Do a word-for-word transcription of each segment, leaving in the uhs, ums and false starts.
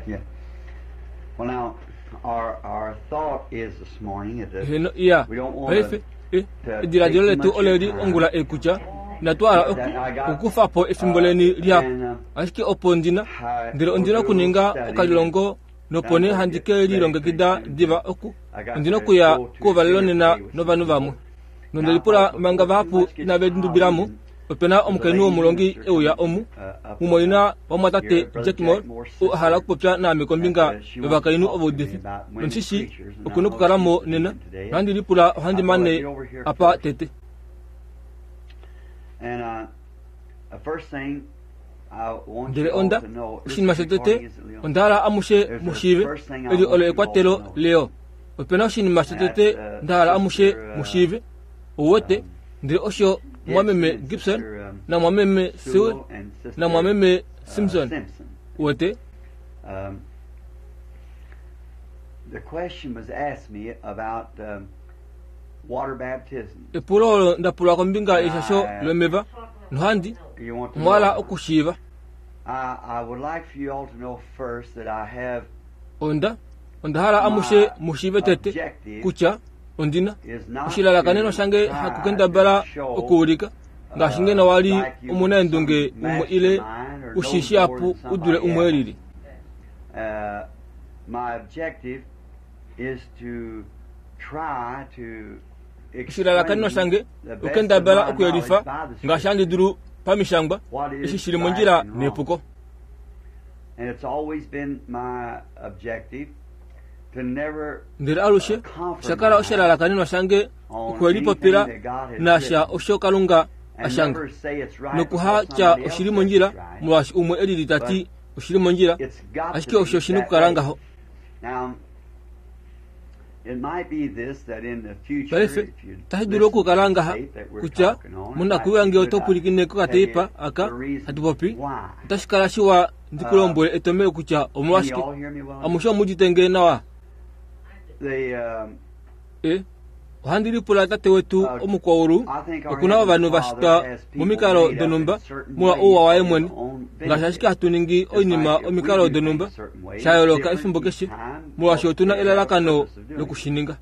Yeah. Well, now, our, our thought is this morning that Heno iya we don't want paife to, e ediladilo letu ole li ongula ei kutya inatu hala oku- okukufa po efimbo leni lihapu ashike opo ndina ndele ondina okuninga okalilongo nopo nee handi ke lilongekida diva oku ondina okuya kuuvalelo nena novanhu vamwe nondelipula manga vahapu inave lindubilamo opena omukainhu womulongi euya omu mumwaina wamwatate Jack Moore ou a hala okupopya naame kombinga yovakainhu ovaudifi nomushishi okuna okukalamo nena nohandi lipula ohandi mane apa tete And uh, the first thing I want ndele you all onda to know, this oshinima recording shotete is Leon. onda hala amushe mushiive eli olo ekwatelo leo opena oshinima shotete nda hala amushe mushiive ouwete ndele osho mwameme Gibson na mwameme Sewell Sewell and Sister na mwameme uh, Simpson Simpson. uwete Um, the question was asked me about um, water baptism. epulo olo ndapulwa kombinga yeshasho lomeva nohandi You want to omwala know? okushiiva I, I would like for you all to know first that I have onda onda hala amushe mushiive tete kutya ondina is not oshilalakanenwa to shange try hakukendabala to show, okuulika ngaashi ngeno wali like you omunaendunge some umwe ile mastermind or ushishi knows apu more than udule somebody umwe else. elili Uh, my objective is to try to oshilalakanenwa explain shange the best of okukendabala my okuyelifa knowledge by the ngaashi handi Scripture dulu pamishangwa what is eshi shili right mondjila and wrong. nepuko And it's always been my objective to never ndele alushe oshakala oshalalakanenwa shange on okwelipopila anything that God has nasha written osho kalunga and ashanga never say it's right nokuha because tya somebody else oshili says mondjila it's right. molwaashi umwe elili tati oshili mondjila It's got ashike to osho be oshina that okukala way. ngaho Now, it might be this that in the future, paife if you otashi dulu listen to okukala the ngaha tape that we're kutya talking on, it might monakuyiwa be ngee good oto I pwilikine tell you kokateipa aka the reason hatu popi why. otashi kala shiwa ndikulombwele etomelo kutya Can you omolwashike all hear me well? amushe omudite nawa The, um, e ohandi lipula tate wetu uh, omukwaulu I think our okuna Heavenly ovanhu va Father shitwa has people momikalo made up in donhumba certain molwa ways ouwa waye for his mwene own ngaashi ashike benefit. hatu ningi Just oinima like if we omikalo do donhumba things certain ways, sha yooloka different efimbo each keshe time, molwaashi otuna because we have a elalakano purpose of doing it. lokushininga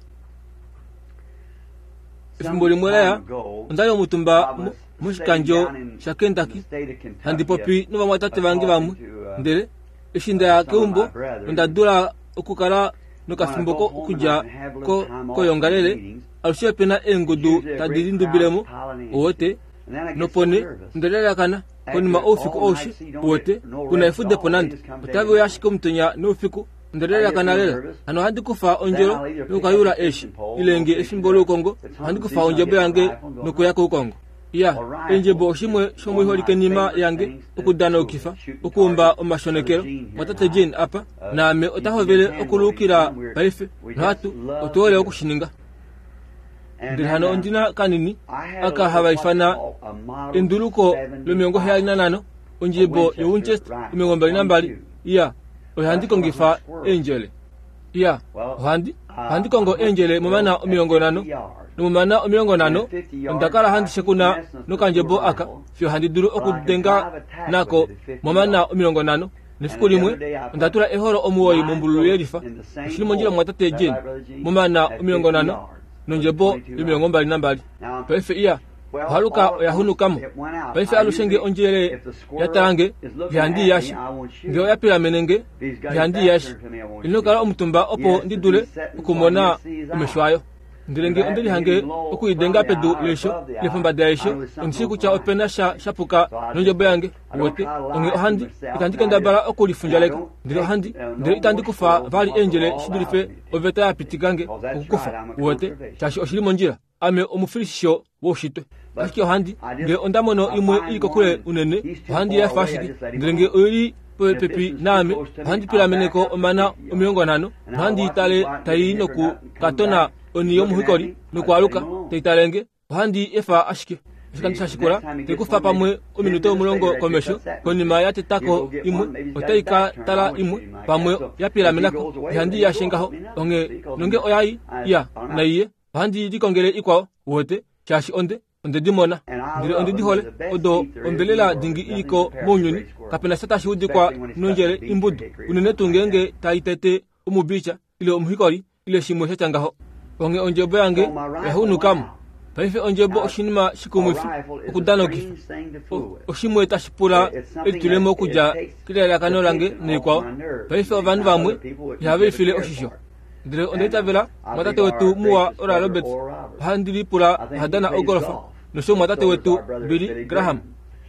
Some efimbo limwe time laya ago, ondali omutumba I mo- was moshikandjo sitting down in sha the Kentucky state of Kentucky, handi popi novamwatate vange vamwe talking to, uh, ndele eshi ndaya some of my keumbo brethren. onda dula okukala When I nokafimbo go ko home and I okudja can have a little ko time off from koyongalele meetings, alushe opena eengudu usually a tadi great lindubilemo crowd piling in. owote And then I get nopo so nee nervous. ondalalakana konima After oufiku all oushi night, so you don't uwete get no kuna rest at efudepo all. They nande just come day otave and uya night. ashike omutenya noufiku I get ondalalakana real lela nervous. hano ohandi kufa Then ondjelo I'll either pick up nokukayula a eeshi fishing pole, ile go nge fishing efimbo there. loukongo It's ohandi hunting kufa season, I'll ondjebo get a yange rifle and go nokuya hunting. koukongo iya A rifle endjebo is oshimwe one of my shomoiholikenima favorite yange things to okudanaukifa shoot and okuumba target. Brother omashonekelo Gene here and mwatate I, Jane apa uh, naame he's ota been hovele hand waving okuluukila some. We're, paife we just nohatu love to otuhole do it. okushininga And ndele then hano uh, ondina kanini I had a aka little hava what's ifana called a Model enduluko lomilongo heyali seventy-five, nanhano a ondjebo Winchester yowinchester rifle, omilongo mbali nambali twenty-two. iya oyo handi That's what I kongifa hunt squirrels. eendjele iya Well, ohandi I, ohandi I kongo hunt eendjele momana squirrels at omilongo nhano fifty yards. nomomana omilongo And nhano at fifty onda yards, kala I handi keep shekuna messing with this nokandjebo little aka rifle, fiyo handi dulu but I can okudenga drive a tack with nako it at fifty momana yards. omilongo nhano nefiku And the limwe other day I onda put tula eholo omuwoi nine mombululu bullets yelifa in the same oshili mondjila hole. mwatate Is that Jane right, Brother Gene? momana At omilongo fifty nhano yards with a nondjebo twenty-two yomilongo rifle. mbali nambali Now, paife iya well, ohaluka all at oya once hunukamo it went out. paife Now, alushe nge usually, ondjele if the ya squirrel talange is looking ihandi at me, yashe I won't shoot nge oya it. pilamene nge If he's got his ihandi back yashe turned to me, I won't ino shoot kala it. omutumba He opo has ndi to be dule sitting so I can okumona see his omesho eye. ayo ndele If nge I onde happen to hit lihange him low okuidenga from the pedu eye or leisho above the ile eye, pombada I yeisho know there's something ondishi wrong kutya with my opena rifle. sha shapuka So I just, nondjebo yange I don't uwete try to onge lie to ohandi myself, itandi and I just, kendabala and I okulifundjaleka don't ndele take ohandi uh, no ndele itandi more kufa squirrels than vali what the eendjele law shi allows dulife me to oveta ya pitikange Because that's okukufa right, I'm a uwete conservationist. shaashi oshili mondjila ame omufilishisho woushitwe But ashike ohandi I ngele just, onda mono I imwe find ili kokule one and unene he's too ohandi far yafa away, I ashike just let him ndele nge alone. oili And if this popepi one's too naame close to me, ohandi I'll back pilameneko up to omana fifty yards. omilongo nhano And I'll nohandi watch him tale go out and get a tai nipper noku nut and come katona back oni looking at yomuhikoli me. I just let nokwaaluka him alone. taitalenge ohandi efa ashike oshikando See, sha the shikula next time he gets tekufa one, maybe pamwe ten ominute minutes omulongo later after he komesho cuts that one konima fish, ya he'll tetako go get imwe one. Maybe he's got otai his ka back turned. I tala won't shoot imwe him like that. pamwe So ya if he pilamenako goes away, ihandi then he yashe go ngaho off me another. onge See, because nonge I'm, oyayi I, iya I'm not. naiye ohandi likongele ikwao uwete shaashi onde Onde di mona ndele onde di hole odo ombelela dingi iliko mounyuni kapena sha tashi udikwa nondjele imbudu unene tuu ngeenge tai tete omubicha ile omuhikoli ile shimwe sha tya ngaho. Onge ondjebo yange oya hunukamo. Paife ondjebo oshinima shikumwifi okudanokifa oshimwe tashi pula elitulemo okudja kelalakano lange noikwao. Paife ovanhu vamwe ihave lifile oshisho. Ndele onda itavela mwatate wetu muwa Oral Roberts ohandi lipula oha dana ogolfa nosho mwatate wetu Billy Graham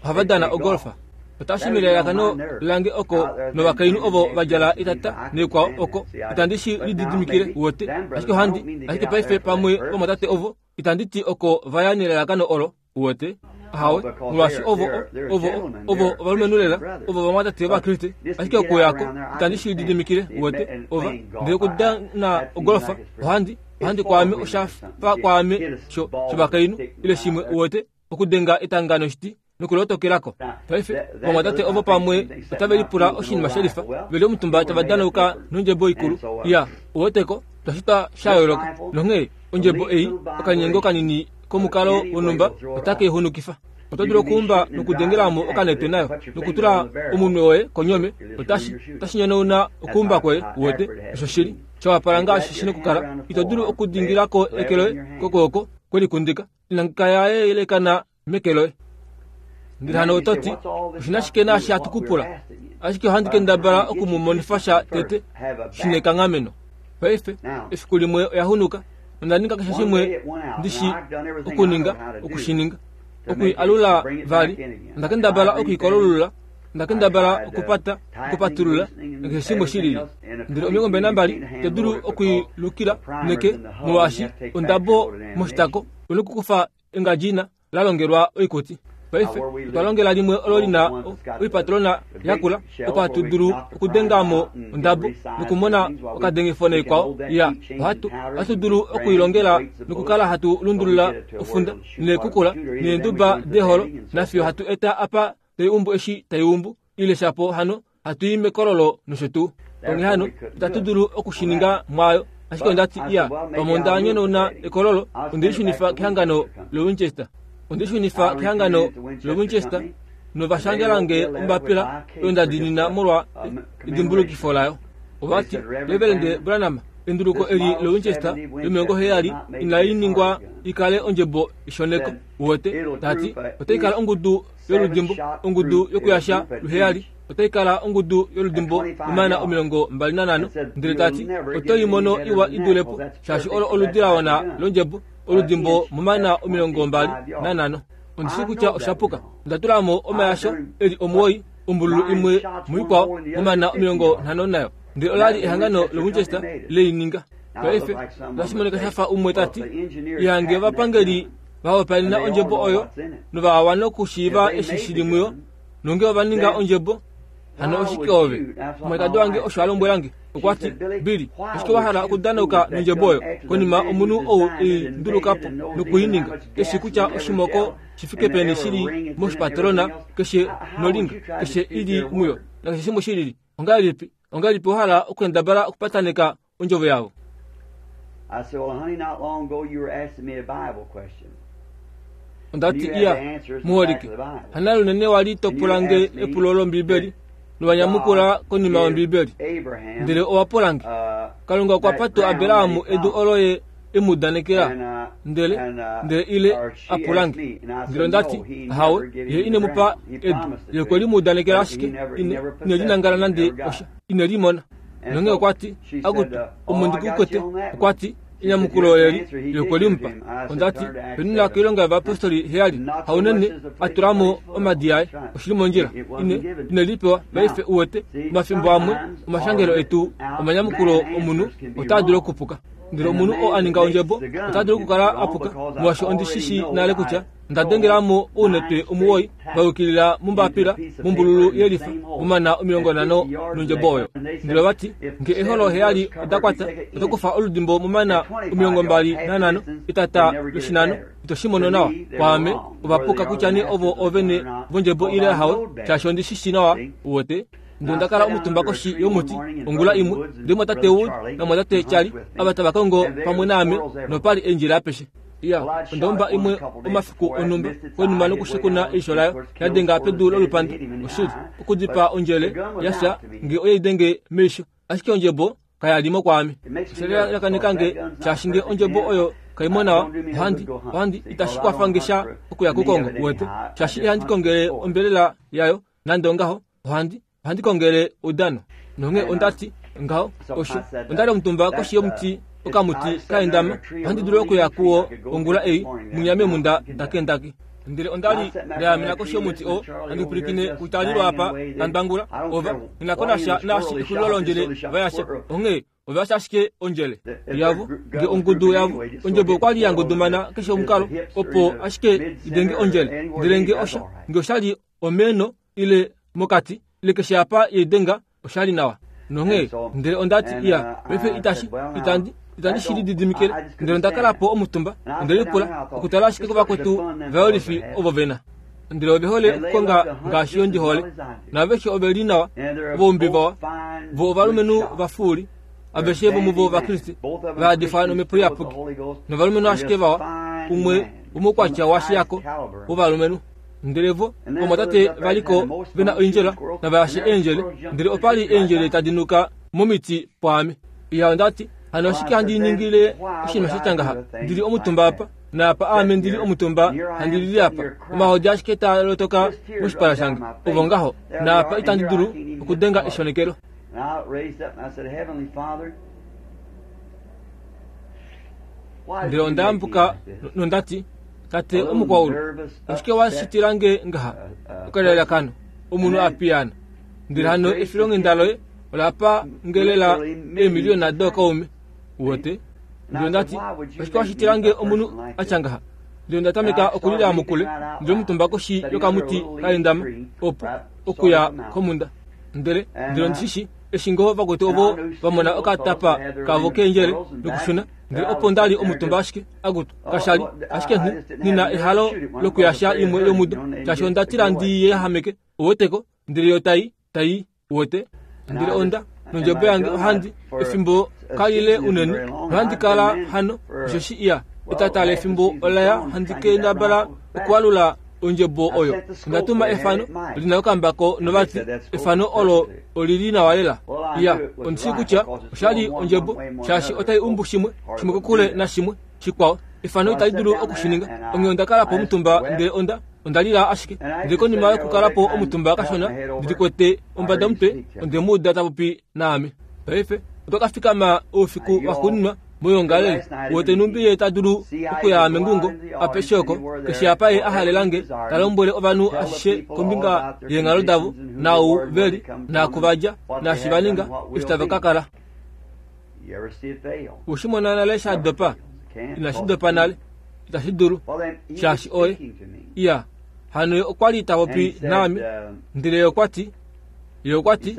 ohava dana ogolfa. Otashi melalakano lange oko novakainhu ovo va djala etata noikwao oko itandi shi lididimikile wote ashike ohandi ashike paife pamwe vamwatate ovo itandi ti oko vaya nelalakano olo wote ahawe molwaashi ovo ovo ovo ovalumenhu lela ovo vamwatate ovakriste ashike okuyako itandi shi lididimikile wote ova ndele okudana ogolfa ohandi ohandi kwaame oshafa kwaame sho shovakainhu ile shimwe wote okudenga etanga noshiti nokulotokelako. Paife vamwatate ovo pamwe otave lipula oshinima shelifa veli omutumba tava danauka nondjebo ikulu ya uweteko twashitwa sha yooloka nonghee ondjebo ei okanyengo kanini komukalo wonhumba otake ihunukifa. Oto dulu okuumba nokudengelamo okanetwe nayo nokutula omunwe woye konyome otashi otashi nyonauna okuumba kwoye uwete osho shili shawapala ngaashi shina okukala. Ito dulu okudingilako eke loye kokwooko kwelikundika inangika yaye yelekana meke loye. Ndele hano oto ti oshina shike naashi hatu kupula ashike ohandi kendabala okumumonifa sha tete shina ekanghameno. Paife efiku limwe oya hunuka onda ninga keshe shimwe ndishi okuninga okushininga okui alula vali onda kendabala okuikolulula onda kendabala okupata okupatulula nakeshe shimwe shilili. Ndele omilongo mbali nambali ito dulu okuilukila neke molwaashi ondabo moshitako una okukufa engadjina la longelwa oikuti. Paife otwa longela limwe olo lina oipatolona yakula opo hatu dulu okudengamo ondabo nokumona okadengifo noikwao ya ohatu ohatu dulu okuilongela nokukala hatu lundulula ofunda neekukula neenduba deholo nafiyo hatu eta apa tai umbu eshi tai umbu ile shapo hano hatu i mekololo nosho tuu. Onghee hano itatu dulu okushininga mwaayo ashike onda ti iya pamwe onda nyonauna ekololo onde lishunifa kehangano loWinchester. Onde lishunifa kehangano loWinchester novashangelange ombapila oyo nda diinina molwa edimbulukifo layo. Ovati Reverend Branham enduluko eli loWinchester yomilongo heyali inali ningwa ikale ondjebo ishoneko uwete tati otai kala ongudu yoludimbo ongudu yokuyasha luheyali otai kala ongudu yoludimbo omana omilongo mbali nanhano ndele tati oto imono iwa idulepo shaashi olo oludi la wana londjebo oludimbo momana omilongo mbali nanhano. Ondishi kutya oshapuka onda tulamo omayasho eli omuwoi ombululu imwe muikwao momana omilongo nhano nayo ndele olali ehangano loWinchester leininga. Paife otashi monika shafa umwe tati ihange ovapangeli vahopaenena ondjebo oyo novawana okushiiva eshi shili muyo nonge ova ninga ondjebo hano oshike ove. Omwalikadi wange osho a lombwelange okwa ti Billy ashike wa hala okudanauka nondjebo oyo konima omunhu ou ei ndulukapo nokuininga keshi kutya oshimoko shifike peni shili moshipatolona keshe nolinga keshe ili muyo nakeshe shimwe shilili. Ongahelipi ongahelipi wa hala okukendabala okupataneka ondjovo yavo? I said, well, honey, not long ago you were asking me a Bible question. Onda ti iya muholike hana lunene wali topulange epulo lombibeli novanyamukula konima yombibeli ndele owapulange Kalunga okwa pa tuu Abrahamu edu olo ye emudanekela ndele ndele ile apulange. Ndele onda ti ahawe ye ine mupa edu ye okwe limudanekela ashike ine ine linangala nande osha ine limona. Nonge okwa ti akutu omo ndikukwete okwa ti enyamukulo leli ye okwe limupa. Onda ti penina koilonga yovapostoli heyali haunene atulamo omadi aye oshili mondjila ine ine lipewa. Paife uwete omafimbo amwe omashangelo etu omanyamukulo omunhu otaa dulu okupuka ndele omunhu oo a ninga ondjebo ota dulu okukala apuka molwaashi ondi shishi nale kutya onda dengelamo ounetwe omuwoi va yukilila mombapila mombululu yelifa momana omilongo nhano nondjebo oyo. Ndele ovati nge eholo heyali oda kwata oto kufa oludimbo momana omilongo mbali nanhano etata loshinano ito shi mono nawa. Kwaame ovapuka kutya nee ovo ovene vondjebo ile ahawe shaashi ondi shishi nawa uwete. Ndele onda kala omutumba koshi yomuti ongula imwe ndele mwatate Wood namwatate Charlie ava tava kongo pamwe naame nopali eendjila apeshe. Ya, onda umba imwe omafiku onhumba konima nokushekuna eisho layo yadenga pedu lolupanda oshili okudipaa ondjele yafya nge oyeidenge meisho ashike ondjebo kayalimo kwaame shelelakanikange shaashi nge ondjebo oyo kaimo nawa ohandi ohandi itashi kwafange sha okuya kukongo wete shaashi ihandi kongele ombelela yayo nande ongaho ohandi ohandi kongele oudano nonge ondati ngaho osho ondali omutumba koshi yomuti okamuti kaendama ohandi dulu okuya kuwo ongula ei munyame munda ndakendaki ndele ondali ndaamena koshi yomuti o handi pwilikine kutalilwa apa tandangula ova ninakonasha naashi exulilo londjele vayasha onghee ovayasha ashike ondjele yavo nge ongudu yavo ondjebo okwali yangudumana keshe omukalo opo ashike idenge ondjele ndele nge osha nge oshali omeno ile mokati ile keshe apa yeidenga oshali nawa nonghee ndele ondati iya paife itashi itandi itandi shili didimikile ndele ondakala po omutumba ndele lipula okutala ashike kovakwetu vayolifi ovo vena ndele ove hole okukonga ngaashi yo ndi hole naveshe ove li nawa voumbi vawa vo ovalumenhu vafuuli aveshe vomuvo vakriste vaadifwa nomhepo iyapuki novalumenhu ashike vawa umwe womoukwatya washiyako wovalumenhu ndele vo omatate valiko vena oindjela navayashe eendjele ndele opali eendjele tadi nuka momiti pwaame iya ondati hano ashike handi ningile oshinima shatya ndili omutumba apa naapa aame ndili omutumba handi lili apa omahodi ashike taa lotoka moshipala shange ovo ngaho naapa itandi dulu okudenga eshonekelo ndele ondayambuka nondati tate omukwaulu ashike washitilange ngaha okalelakano omunhu apiyana ndele hano efilonghenda loye olapa ngelela eemiliyona dookaume wote ndele ondati ashike washitilange omunhu atya ngaha ndele ondatameka okulila mokule ndele omutumba koshi yokamuti kaendama opo okuya komunda ndele ndele ondishishi eshi ngoo vakwetu ovo vamona okatapa kavo keendjele nokushuna ndele opo ndali omutumba ashike akutu kashali ashike nina ehalo lokuyasha imwe yomudo shaashi ondatila ndi yehameke oweteko ndele yo tai tai wote ndele onda nondjebo yange ohandi efimbo kalile unene nohandi kala hano oshoshi iya etatala efimbo olaya handi kendabala okuwalula ondjebo oyo ndatuma efano lina okambako novati efano olo olili nawa lela iya ondishi kutya oshali ondjebo shaashi otai umbu shimwe shimwe kokule nashimwe shikwao efano itali dulu okushininga onghee ondakala po omutumba ndele onda ondalila ashike ndele konima yokukala po omutumba kashona ndili kwete ombada omutwe ondemuuda tapopi naame paife otwakafikama oufiku waxuuninwa moyongalele wote numbi ye tadulu okuya mengungo apeshe oko keshe apa ye ahalelange talombwele ovanhu ashishe kombinga yeenghalo davo nau veli naakuvadja naashi vaninga eshi tava kakala ushimona nale sha dopa inashi dopa nale itashi dulu shaashi oye iya hano ye okwali tapopi naame ndele ye okwati ye okwati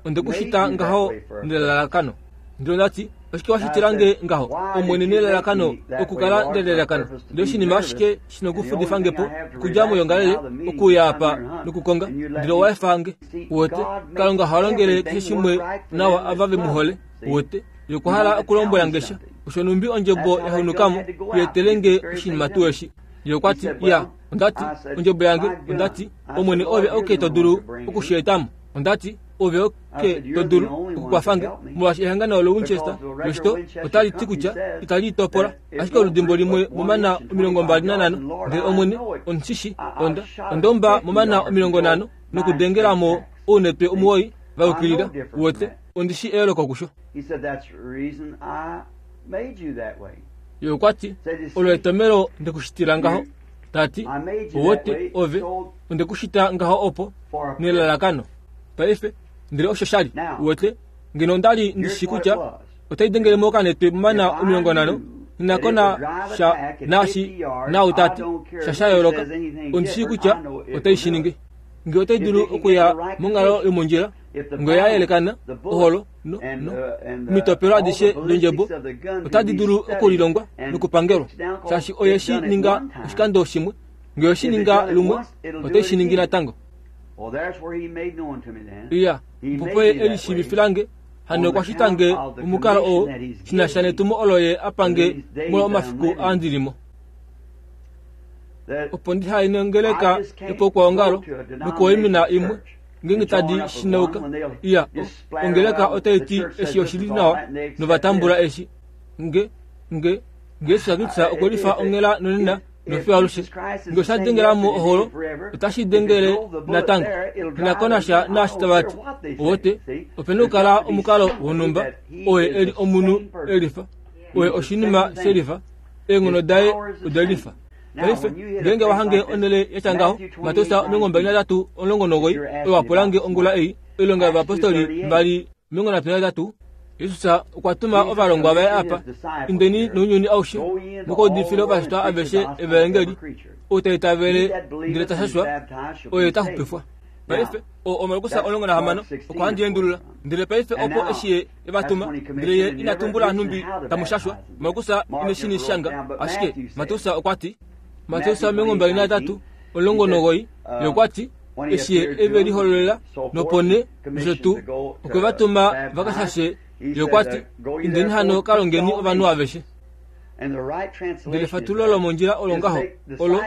ondekushita ngaho nelalakano ndele ondati oshike washitilange ngaho omwene nelalakano okukala nelelakano ndele oshinima ashike shina okufudifangepo okudja moyongalele okuya apa nokukonga ndele owaefange wote kalunga oha longele keshe shimwe nawa ava vemuhole wote yokuhala okulombwela ngesha osho numbi ondjebo yahunukamo yetelenge oshinima tuu eshi ye okwati iya ondati ondjebo yange ondati omwene ove oke to dulu okusheetamo ondati ove oke to dulu okukwafange molwaashi ehangano loWinchester loshito otali ti kutya itali topola ashike oludimbo limwe momana omilongo mbali nanhano ndele omwene omushishi onda ondomba momana omilongo nhano nokudengelamo ounetwe omuwoi vaukilila wote ondishi eyooloko kusho ye okwati olo etomelo ndekushitila ngaho tati owote ove ondekushita ngaho opo nelalakano paife ndele osho shali wote ngeno ondali ndishi kutya otai dengele mokanetwe momana omilongo nhano ninakona sha naashi nau tati sha sha yooloka ondishi kutya otai shi ningi nge otai dulu okuya monghalo yomondjila nge yayelekana oholo no no omitopelo adishe dondjebo otadi dulu okulilongwa nokupangelwa shaashi oye shi ninga oshikando shimwe nge oshi ninga lumwe otai shi ningi natango iya opo ye elishiivifilange hano okwashitange omukalo oo shinasha netumo olo ye apange molwa omafiku aandilimo Opo ndihaye nongeleka yopaukwaongalo nokuwaimina imwe ngeenge tadi shinauka. Iya, ongeleka otai ti eshi oshili nawa novatambula eshi. Nge nge nge Jesus Kristus okwe lifa onghela nonena nofiyo alushe. Nge osha dengelamo oholo, otashi dengele natango. Inakonasha naashi tava ti. Owote, opena okukala omukalo wonhumba, oye eli omunhu elifa, oye oshinima shelifa, eenghono daye odelifa. Paife, ngeenge wahange onhele yatya ngaho, Mateus omilongo mbali natatu omulongo nomugoyi, oyo wapulange ongula ei, oilonga yovayapostoli mbali omilongo nhatu natatu, Jesus okwa tuma ovalongwa vaye apa, indeni nounyuni aushe, mukaudifile ovashitwa aveshe evaengeli, ou ta itavele ndele ta shashwa, oye ta xupifwa. Paife, oo Markus omulongo nahamano okwa handi endulula. Ndele paife opo eshi ye evatuma, ndele ye ina tumbula nhumbi tamu shashwa, Markus ine shi shanga, ashike Mateus okwa ti, Mateus omilongo mbali natatu omulongo nomugoyi, ye okwa ti, eshi ye eve lihololela nopone nosho tuu, okwe va tuma va ka shashe, ye okwa ti, indeni hano ka longeni ovanhu aveshe. Ndele fatululo lomondjila olo ngaho, olo,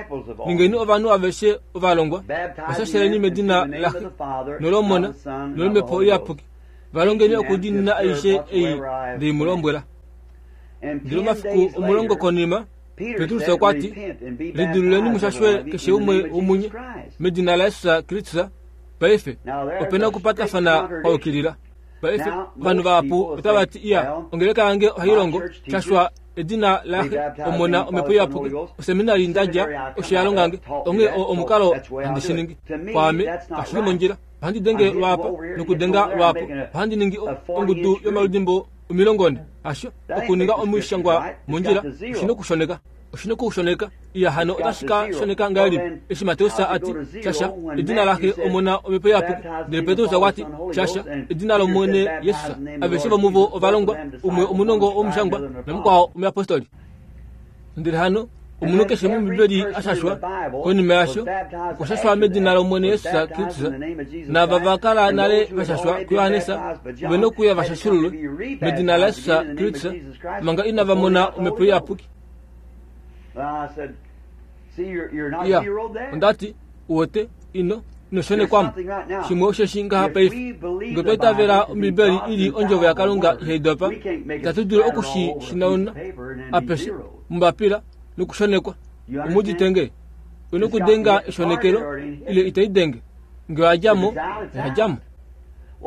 ningeni ovanhu aveshe ovalongwa, vashasheleni medina laXe nolOmona nolOmhepo Iyapuki, va longeni okudiinina aishe ei ndei mu lombwela. Ndele omafiku omulongo konima, Petrus okwa ti, lidiluleni mushashwe keshe umwe womunye medina laJesus Kristus. Paife opena okupatafana kwa yukilila. Paife ovanhu vahapu otava ti, iya, ongeleka yange ohai longo shashwa edina laXe, Omona, Omhepo Iyapuki, oseminari ndadja, osho ya longange, onghee oo omukalo handi shi ningi. Kwaame, kashi li mondjila. Ohandi denge lwaapa nokudenga lwaapo, ohandi ningi ongudu yomaludimbo omilongo nhe. Hasho, okuninga omushangwa mondjila, oshina okushoneka. Oshina okushoneka. Iya, hano otashi ka shoneka ngahelipi eshi Mateus a ti, shasha edina laXe, Omona, Omhepo Iyapuki, ndele Petrus okwa ti, shasha edina lOmwene Jesus. Aveshe vomuvo ovalongwa, umwe omunongo womushangwa namukwao omuyapostoli. Ndele hano omunhu keshe mOmbibeli a shashwa konima yasho, okwa shashwa medina lOmwene Jesus Kristus, naava va kala nale va shashwa kuJohannes ove nokuya va shashululwe medina laJesus Kristus manga inava mona Omhepo Iyapuki. Iya, onda ti, uwete, ino ino shonekwamo. Shimwe osheshi ngaha paife, nge otwa itavela Ombibeli ili ondjovo yaKalunga ihai dopa, itatu dulu oku shi shinauna apeshe mombapila nokushonekwa. Omudite nge, oina okudenga eshonekelo ile itai denge. Nge oya dja mo, oya dja mo.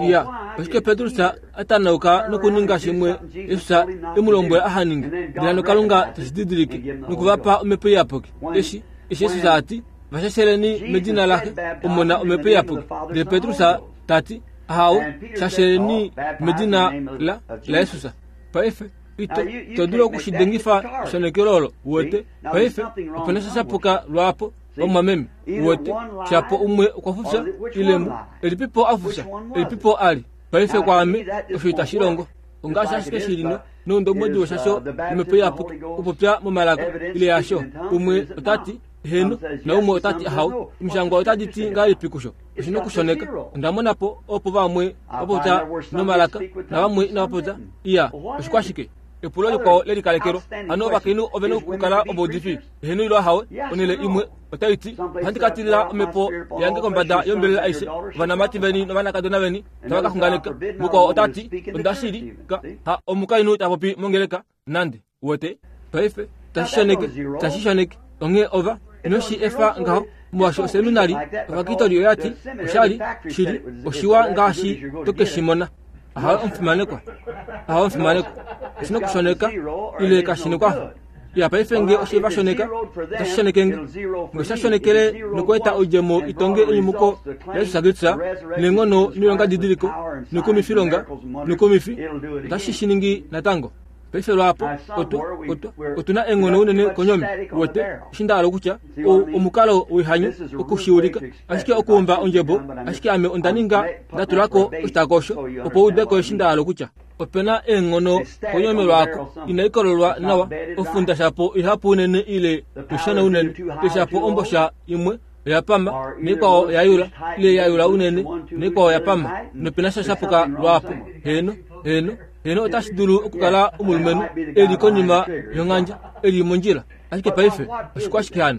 Iya, oshike Petrus a tanauka nokuninga shimwe Jesus e mu lombwela aha ninge, ndele hano Kalunga teshi didilike nokuvapa Omhepo Iyapuki. Eshi eshi Jesus a ti, vashasheleni medina laXe, Omona, Omhepo Iyapuki. Ndele Petrus ta ti, ahawe, shasheleni medina la laJesus. Paife ito ito dulu okushidengifa eshonekelo olo, uwete. Paife opena sha shapuka lwaapo, vamwameme, uwete. Shapo umwe okwa fufya ile mu elipipo a fufya, elipipo a li. Paife kwaame osho itashi longo. Ongaashi ashike shili no noundombwedi woshasho yOmhepo Iyapuki okupopya momalaka ile yasho. Umwe ota ti heno naumwe ota ti ahawe. Omishangwa otadi ti ngahelipi kusho? Oshina okushoneka. Onda mona po opo vamwe va popya nomalaka navamwe inava popya. Iya, oshikwashike? Epulo likwao le likalekelwa. Hano ovakainhu ove na okukala ovaudifi? Eheno ilo ahawe. Onhele imwe otai ti, ohandi ka tilila omhepo yange kombada yombelela aishe, ovanamati veni novanakadona veni tava ka xunganeka. Mukwao ota ti, onda shili ka ha omukainhu ta popi mongeleka nande. Uwete? Paife tashi shoneke, tashi shoneke. Onghee ova ino shi efa ngaho, molwaashi oseminari ovakitoli oya ti oshali shili oshiwa ngaashi to ke shi mona. Ahawe omufimanekwa, ahawe omufimanekwa, oshina okushoneka ile kashi nekwafo. Iya, paife nge oshe va shoneka, otashi shoneke nge. Nge osha shonekele nokweeta oidjemo itonge enyumuko laJesus Kristus neenghono noilonga didiliko nokumifilonga nokumifi, otashi shi ningi natango. Paife lwaapo otu otu otuna eenghono unene konyomi, uwete, eshi nda hala okutya, ou omukalo woihanyo okushiulika, ashike okuumba ondjebo, ashike ame onda ninga nda tulako oshitako osho opo u udeko eshi nda hala okutya. Opena eenghono konyomi lwaako inai kololwa nawa, ofunda shapo ihapu unene ile ishona unene, ile shapo ombosha imwe oya pama naikwao oya yula, ile ya yula unene naikwao oya pama, nopena sha shapuka lwaapo. Heno, heno, heno otashi dulu okukala omulumenhu e li konima yonghandja, e li mondjila. Ashike paife oshikwashike hano?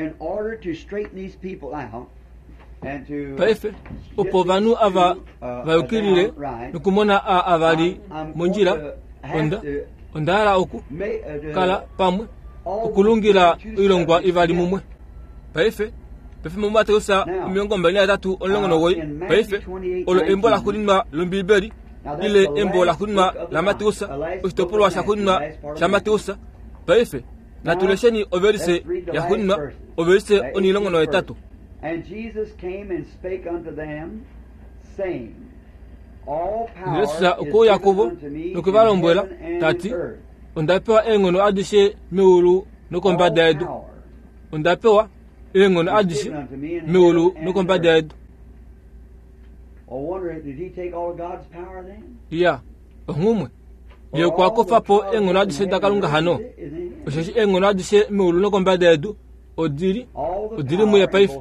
In order to straighten these people out and to paife opo ovanhu ava va yukilile nokumona a avali mondjila onda onda hala oku ma- uh, to kala pamwe Okulungila oilongwa ivali mumwe. Paife paife muMateus omilongo mbali nahetatu omulongo nomugoyi. Paife olo embo laxuuninwa lOmbiibeli ile embo laxuuninwa laMateus, oshitopolwa shaxuuninwa shaMateus. Paife natu lesheni ovelise yaxuuninwa, ovelise onhilongo nohetatu. Jesus okwe uya kuvo nokwe va lombwela ta ti, onda pewa eenghono adishe meulu nokombada yedu. Onda pewa eenghono adishe meulu nokombada yedu. Iya, onghumwe. Ye okwa kufa po eenghono adishe daKalunga hano. Osheshi eenghono adishe meulu nokombada yedu odili odili muye paife.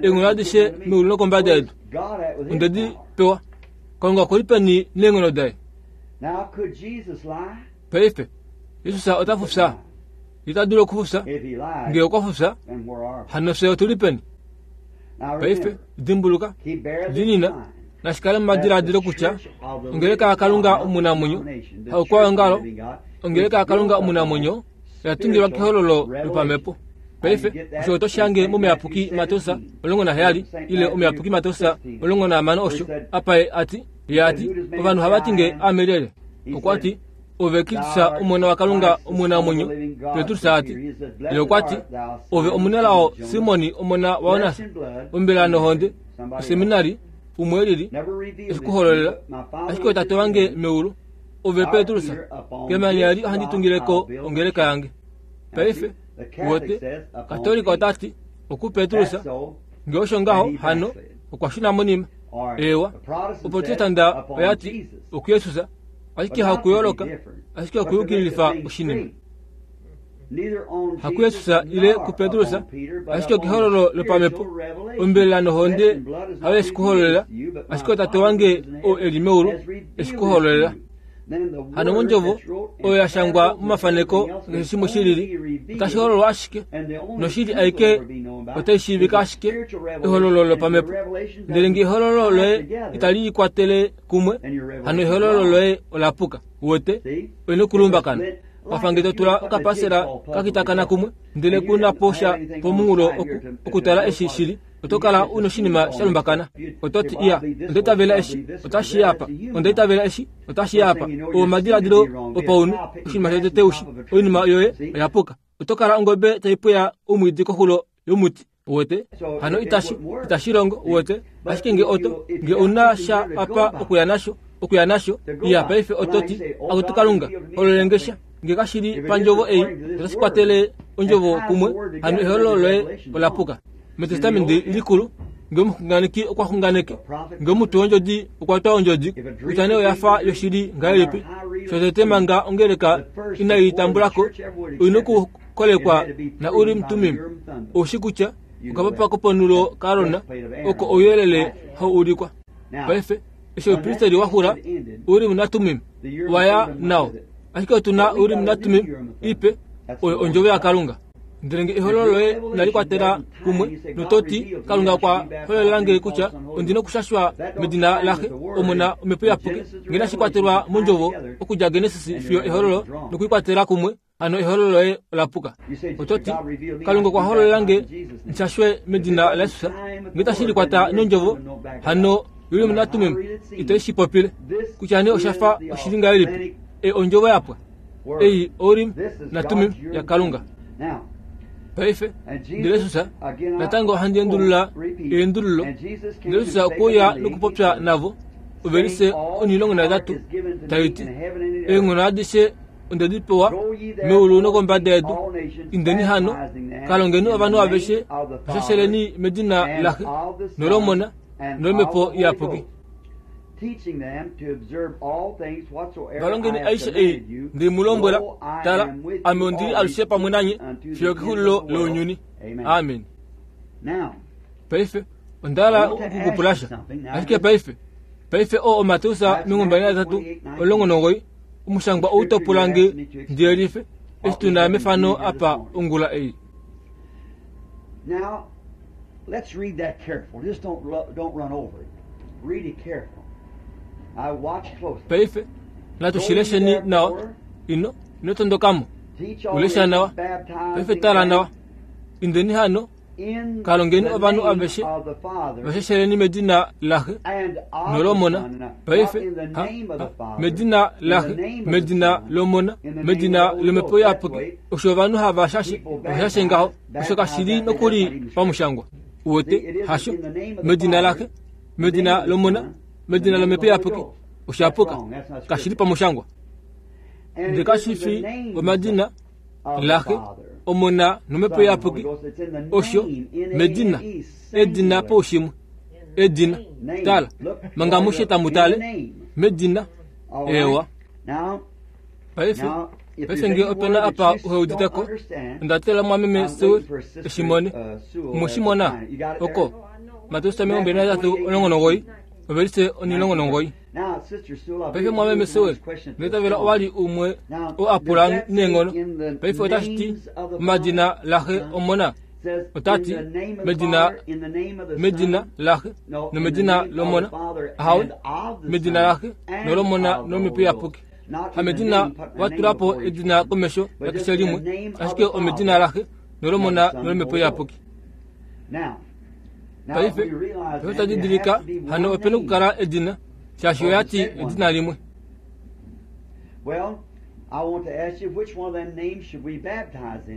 Eenghono adishe meulu nokombada yedu ondedi pewa. Kalunga okuli peni neenghono daye? Paife Jesus ota fufya. Ita dulu okufufya. Ngee okwa fufya, hano fye otuli peni? Paife dimbuluka, dinina nashikale momadiladilo kutya ongeleka yaKalunga omunamwenyo, haukwaongalo, ongeleka yaKalunga omunamwenyo oya tungilwa kehololo lopamhepo. Paife osho oto shange momuyapuki Mateus omulongo naheyali ile omuyapuki Mateus omulongo nahamano osho apa ye ati, ye ati ovanhu hava ti nge aame lyelye. Okwa ti ove Kristus omona waKalunga omunamwenyo. Petrus ati, ye okwa ti ove omunelao Simoni omona waOnas, ombela nohonde oseminari umwe lili eshikuhololela, ashike tate wange meulu. Ove Petrus, kemanya eli ohandi tungileko ongeleka yange. Paife wote Katolika otati oku Petrus nge osho ngaho hano okwa shuna monima. Ewa, Oprotestanda oyati oku Jesus, ashike hakuyooloka, ashike okuyukililifa oshinima. Haku Jesus ile kuPetrus, ashike okehololo lopamhepo. Ombelela nohonde hayo eshikuhololela, ashike tate wange oo eli meulu eshikuhololela. Hano mondjovo oyo ya shangwa momafaneko keshe shimwe shilili otashi hololwa ashike, noshili aike otai shiivika ashike ehololo lopamhepo. Ndele ngee ehololo loye itali likwatele kumwe, hano ehololo loye ola puka. Wote oina okulumbakana. Wafa nge totula okapasela kakitakana kumwe, ndele kuna po sha pomunghulo okutala eshi shili, oto kala una oshinima sha lumbakana. Oto ti iya, onda itavela eshi, otashi ya apa. Onda itavela eshi, otashi ya apa. Oo omadiladilo opaunhu, oshinima shotete ushi, oinima yoye oya puka. Oto kala ongobe tai pweya omwiidi koxulo yomuti. Wote hano itashi itashi longo. Wote ashike nge oto nge una sha apa okuya nasho, okuya nasho iya paife oto ti akutu Kalunga hololenge sha. Nge kashili pandjovo ei otashi kwatele ondjovo kumwe, hano ehololo loye ola puka. MEtestamenti likulu, nge omuxunganeki okwa xunganeke, nge omutwe wondjodi okwa twa ondjodi, kutya nee oya fa yoshili ngahelipi, shotete manga ongeleka inai tambulako, oina okukolekwa na Urim Tumim. Oushi kutya okapapa koponulo kaAron oko ouyelele hau ulikwa. Paife eshi oupristeri wa xula, Urim naTumim waya nao. Ashike otu na Urim naTumim ipe, oyo ondjovo yaKalunga. Ndele nge ehololo loye inali kwatela kumwe, nototi Kalunga okwa hololela nge kutya ondina okushashwa medina laxe, Omona, Omhepo Iyapuki, nge inashi kwatelwa mondjovo okudja Genesis fiyo ehololo nokuikwatela kumwe, hano ehololo loye ola puka. Oto ti Kalunga okwa hololela nge nshashwe medina laJesus, nge itashi likwata nondjovo, hano Urim naTumim ite shi popile kutya nee osha fa oshili ngahelipi. E ondjovo yapwa ei Urim naTumim yaKalunga. Paife ndele Jesus natango ohandi endulula eendululo. Ndele Jesus okwe uya nokupopya navo ovelise onhilongo nahetatu tai ti, eenghono adishe onde di pewa meulu nokombada yedu. Indeni hano, kalongeni ovanhu aveshe, vashasheleni medina laXe nolOmona nolOmhepo Iyapuki. Valongeni aishe ei nde mu lombwela. Tala, ame ondili alushe pamwe nanye fiyo kexulilo lounyuni. Amen. Paife onda hala okukupula sha, ashike paife paife oo oMateus omilongo mbali nahetatu omulongo nomugoyi, omushangwa ou topula nge ndi yelife eshi tuna mefano apa ongula ei. Now, let's read that careful. Just don't don't run over it. Read it careful. I watch closely. Paife natu shi lesheni nawa. Ino ino tondokamo. Ulesha nawa. Paife tala nawa. Indeni hano kalongeni ovanhu aveshe vashasheleni medina laxe nolomona. Paife ha, ha, medina laxe, medina lomona, medina lomhepo iyapuki. Osho ovanhu hava shashe, vashashe ngaho, osho kashili nokuli pamushangwa. Uwete hasho medina laxe, medina lomona, medina lomhepo iyapuki. Oshapuka kashili pamushangwa. Ndele kashifi omadina laxe, omona nomhepo iyapuki. Osho medina, edina poushimwe, edina. Tala manga mushe tamutale medina ewa. Paife paife nge opena apa uheuditeko ndatela mwameme Sewell eshimone mushimona oko Mateus omilongo mbili nahetatu omulongo nomugoyi ovelise onilongo nomugoyi. Paife mwameme Sewell ngeitavela owali umwe oo apula neenghono. Paife otashi ti omadina laxe omona, otati medina medina laxe nomedina lomona. Ahawe medina laxe nolomona nomhepo iyapuki. Hamedina watulapo edina komesho yakeshe limwe, ashike omedina laxe nolomona nolomhepo iyapuki. Paife paife tadidilika hano opena okukala edina, shaashi oyati edina limwe.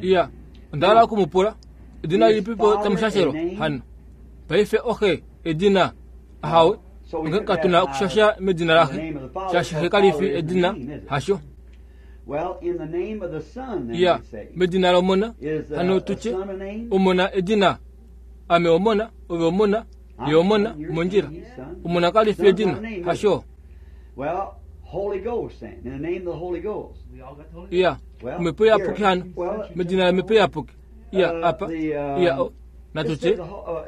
Iya, onda hala okumupula edina lilipipo tamushashelwa hano. Paife oxe edina ahawe, onge katuna okushasha medina laxe, shaashi xe kalifi edina hasho. Iya, medina lomona hano tutye omona edina. Ame omona, ove omona, ye omona, mondjila. Omona kalifi edina hasho. Iya, omhepo iyapuki hano medina lomhepo iyapuki. Iya, apa iya o natutye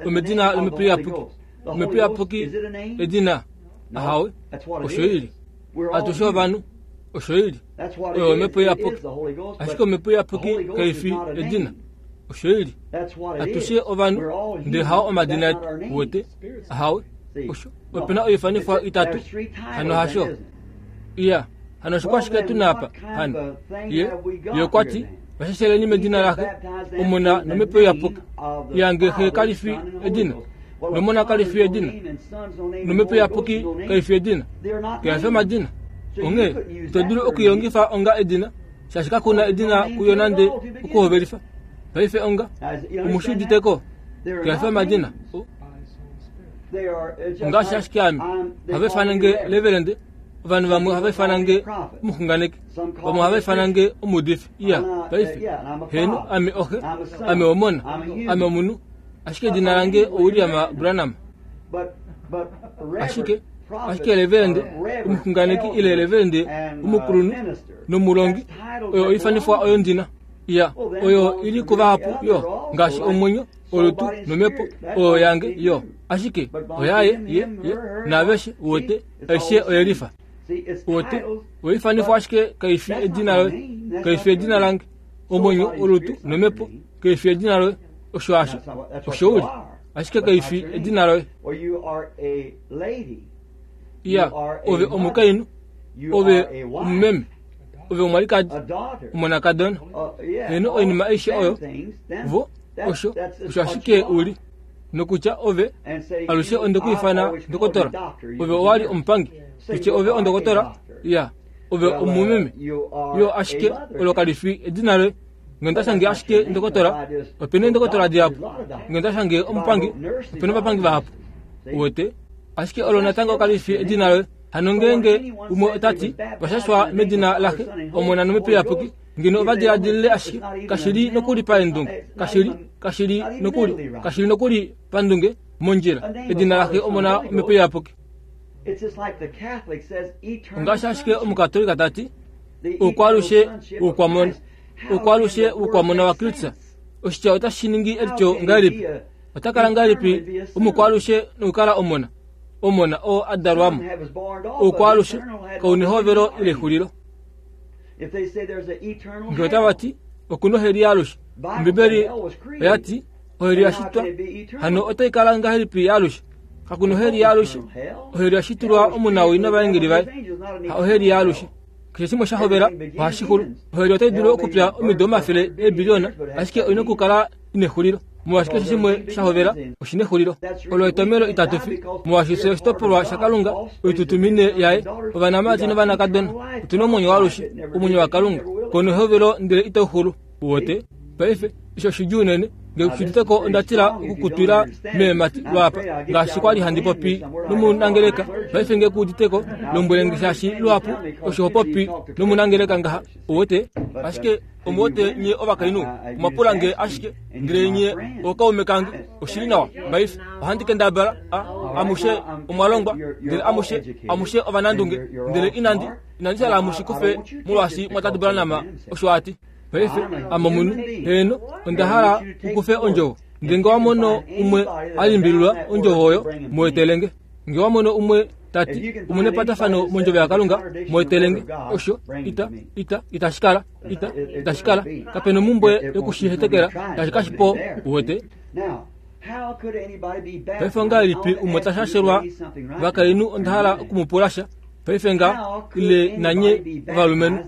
omedina lomhepo iyapuki. Omhepo iyapuki edina ahawe, osho ili atushe ovanhu, osho ili oyo omhepo iyapuki. Ashike omhepo iyapuki kaifi edina, osho ili atushe ovanhu, ndele hao omadina etu uwete ahawe. Osho opena oifanifwa itatu hano hasho. Iya, hano osho kwashike tuna apa hano. Ye ye okwati vashasheleni medina laxe omona nomhepo iyapuki. Iya, nge xe kalifi edina, nomona kalifi edina, nomhepo iyapuki kaifi edina, kaifi omadina. Onghee ito dulu okuilongifa onga edina, shaashi kakuna edina kuyo nande okuhovelifa. Paife onga omushi uditeko kaifi omadina. Ngaashi ashike ame ohava ifana nge levelende, ovanhu vamwe ohava ifana nge omuxunganeki, vamwe ohava ifana nge omuudifi. Iya, paife heeno, ame oxe, ame omona, ame omunhu, ashike edina lange oWilliam Branham. Ashike ashike levelende omuxunganeki ile levelende omukulunhu nomulongi, oyo oifanifwa oyo ndina. Iya, oyo ili kuvahapu yo ngaashi omwenyo, olutu nomhepo oyo yange yo. Ashike oyaye ye ye naaveshe uwete aishe oyelifa. Uwete oifanifwa ashike kaifi edina loye, kaifi edina lange. Omwenyo, olutu nomhepo kaifi edina loye. Osho asho osho uli, ashike kaifi edina loye. Iya, ove omukainhu, ove omumeme, ove omwalikadi, omonakadona. Heno oinima aishe oyo vo osho osho ashike uli. Nokutya ove alushe ondekuifana ndokotola, ove owali omupangi, tutye ove ondokotola. Iya, ove omumeme yo, ashike olo kalifi edina loye. Nge ndashange ashike ndokotola, opena eendokotola dihapu. Nge ndashange omupangi, opena ovapangi vahapu. Uwete ashike olo natango kalifi edina loye. Hano ngeenge umwe otati vashashwa medina laxe omona nomhepo iyapuki, ngeno ovadiladilile ashike kashili nokuli paendunge, kashili kashili nokuli kashili nokuli pandunge mondjila. Edina laxe omona omhepo iyapuki. Ongaashi ashike omukatolika tati oukwalushe woukwamona, oukwalushe woukwamona waKristus. Oshitya otashi ningi elityo ngahelipi? Ota kala ngahelipi omukwalushe nokukala omona? Omona oo adalwamo. Oukwalushe kaunehovelo ile exulilo. Nge otava ti okuna oheli yaalushe, Ombibeli oyati oheli yashitwa, hano otai kala ngahelipi yaalushe? Kakuna oheli yaalushe. Oheli yashitulwa omunawii novaengeli vaye, ha oheli yaalushe. Keshe shimwe sha hovela ohashi xulu. Oheli otai dulu okupya omido omafele eebiliona, ashike oina okukala ina exulilo. Molwaashi keshe shimwe sha hovela oshina exulilo. Olo etomhelo itatu fi, molwaashi fye oshitopolwa shaKalunga, oitutumine yaye, ovanamati novanakadona. Otuna omwenyo waalushe, omwenyo waKalunga, kono ehovelo ndele itau xulu. Uwete? Paife osho oshidjuu unene. Nge kushuditeko onda tila okukutwila meemati lwapa, ngaashi kwali handi popi nomunangeleka. Paife nge kuuditeko, lombwele shaashi lwapu osho ho popi nomunangeleka ngaha. Uwete? Ashike omuwete nye ovakainhu, omwapula nge ashike, ndele nye ookaume kange, oshili nawa. Paife ohandi kendabala a amushe omwalongwa, ndele amushe amushe ovanandunge, ndele inandi inandi hala amushe kufe molwaashi mwatadubala nama, osho ati. Paife ame omunhu, heeno, onda hala ukufe ondjovo. Ndele nge wamono umwe alimbililwa ondjovo oyo, muetelenge. Nge wamono umwe tati omuna epatafano mondjovo yaKalunga, muetelenge. Osho ita ita itashikala ita itashikala kapena omumbwe yokushihetekela, tashi kashipo. Uwete? Paife ongahelipi umwe tashashelwa vakainhu? Onda hala okumupula sha. Paife nga ile nanye ovalumenhu,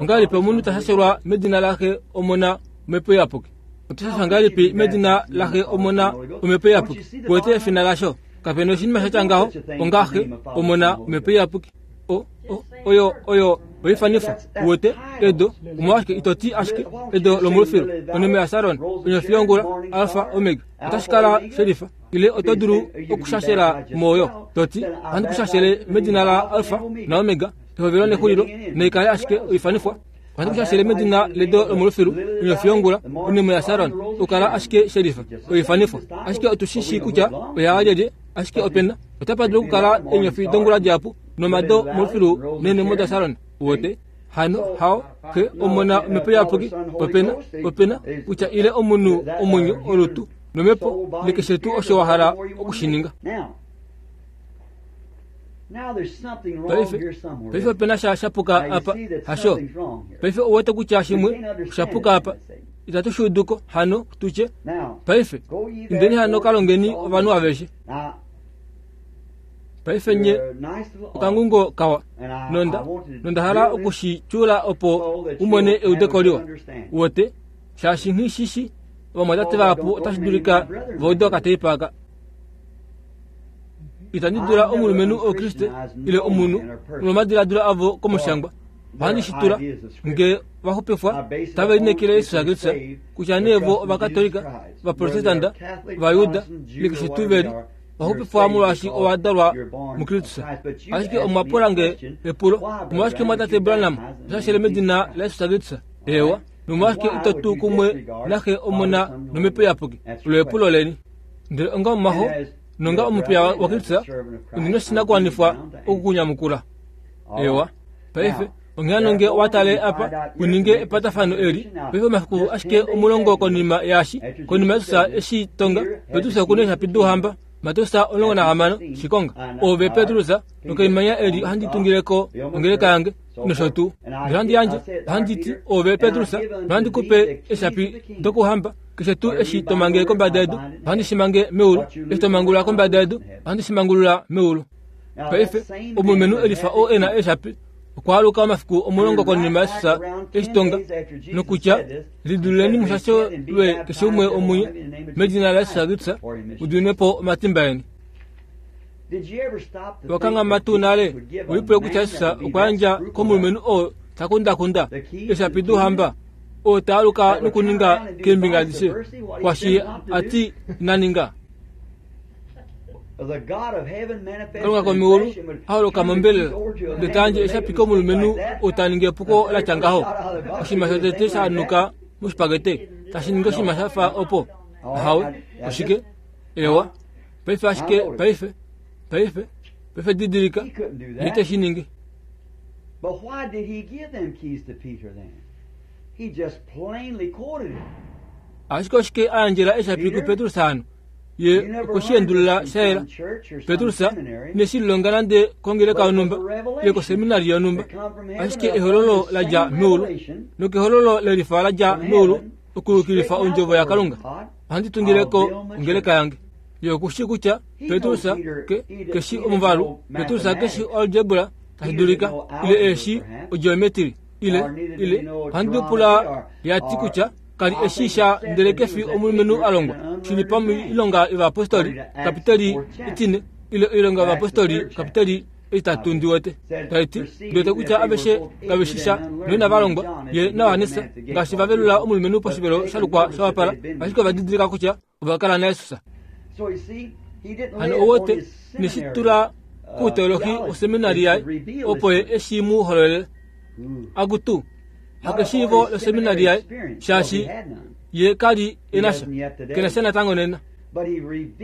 ongahelipi omunhu tashashelwa medina laxe omona omhepo iyapuki? Otashashwa ngahelipi medina laxe omona omhepo iyapuki? Uwete efina lasho? Kapena oshinima shatya ngaho ongaxe omona omhepo iyapuki. O o oyo oyo oifanifwa. Uwete? Edo omolwashike itoti ashike edo lomulufilu, onime yaSaron, onyofi yongula, Alfa Omega, otashi kala shelifa. Ile oto dulu okushashela mooyo toti ohandi kushashele medina la Alfa na Omega, ehovelo nexulilo, naikale ashike oifanifwa. Ohandi kushashele medina ledo lomulufilu, onyofi yongula, onime yaSaron, okukala ashike shelifa oifanifwa. Ashike otushishi kutya oya lyelye, ashike opena otapa dulu okukala eenyofi dongula dihapu nomado molufilu neenemo daSaron. Uwete? Hano hao xe omona omhepo iyapuki, opena opena kutya ile omunhu omwenyo olutu nomhepo nekeshe tuu osho wa hala okushininga. Paife paife opena sha shapuka apa, hasho? Paife ouwete kutya shimwe oshapuka apa, itatu shuuduko. Hano tutye paife indeni hano kalongeni ovanhu aveshe. Paife nye okangungo kawa, nonda nonda hala okushityula opo umone eudeko liwa. Uwete? Shaashi nghishishi ovamwatate vahapu otashi dulika vaude okateipa. Itandi dula omulumenhu Okriste ile omunhu molwomadiladilo avo komushangwa. Ohandi shitula nge vaxupifwa tave lineekele Jesus Kristus, kutya nee vo Ovakatolika, Ovaprotestanta, Ovajuda, ile keshe tuu veli, vaxupifwa molwaashi ova dalwa muKristus. Ashike omwapula nge epulo, omolwashike mwatate Branham oshashele medina laJesus Kristus? Ewa, nomolwashike ito tuu kumwe naxe omona nomhepo iyapuki? Olo epulo leni. Ndele onga omumaho nonga omupiya waKristus, ondina oshinakuwanifwa okukunyamukula. Ewa, paife onghee hano nge watale apa uninge epatafano eli, paife omafiku ashike omulongo konima yaashi, konima Jesus eshi tonga, Petrus okuna eeshapi douhamba, Mateus omulongo nahamano, shikonga. Ove Petrus, nokeimanya eli ohandi tungileko ongeleka yange, nosho tuu. Ndele ohandi yandje, ohandi ti, ove Petrus, nohandi kupe eeshapi dokuhamba, keshe tuu eshi to mange kombada yedu, ohandi shi mange meulu, eshi to mangulula kombada yedu, ohandi shi mangulula meulu. Paife omulumenhu elifa oo ena eeshapi okwaaluka omafiku omulongo konima Jesus eshi tonga, nokutya lidululeni mushashelwe keshe umwe omunye medina laJesus Kristus, mudiminwe po omatimba eni. Wakanghama tuu nale ulipule kutya Jesus okwa yandja komulumenhu oo ta kundakunda eeshapi douhamba, oo ta aluka nokuninga keembinga adishe kwashi ati ina ninga? Kalunga komeulu aholoka mombelela ndele ta yandje eeshapi komulumenhu oo ta ningi epuko latya ngaho. Oshinima shotete sha nuka moshipakete tashi ningi oshinima shafa opo. Ahawe, oshike? Ewa, paife ashike paife paife paife didilika ye te shi ningi. But why did he give them keys to Peter then? He just plainly quoted it. Ashike oshike a yandjela eeshapi kuPetrus hano? Ye okweshiendulula shayela. Petrus ineshi lilonga nande kongeleka yonhumba ile koseminari yonhumba, ashike ehololo ladja meulu, nokehololo lelifa ladja meulu okuyukilifa ondjovo yaKalunga. Ohandi tungileko ongeleka yange. Ye okushi kutya Petrus ke keshi omuvalu, Petrus keshi algebra, tashi dulika ile eshi ogeometry ile ile ohandi pula yati kutya kali eshi sha ndele kefi omulumenhu a longwa shili pamoilonga yovapostoli kapiteli etine ile oilonga yovapostoli kapiteli itatu ndiwete taiti ndiwete kutya aveshe kaveshisha noina valongwa ye nayohanesa ngaashi vavelula omulumenhu poshivelo shalukwa shawapala ashike ovadidilika kutya ovakala nayesus. Hano owote neshitula kuteolohi oseminari yaye opo ye eshi mu hololele akutu hakeshiivo loseminari yaye shaashi ye kali enasha kenasha natango nena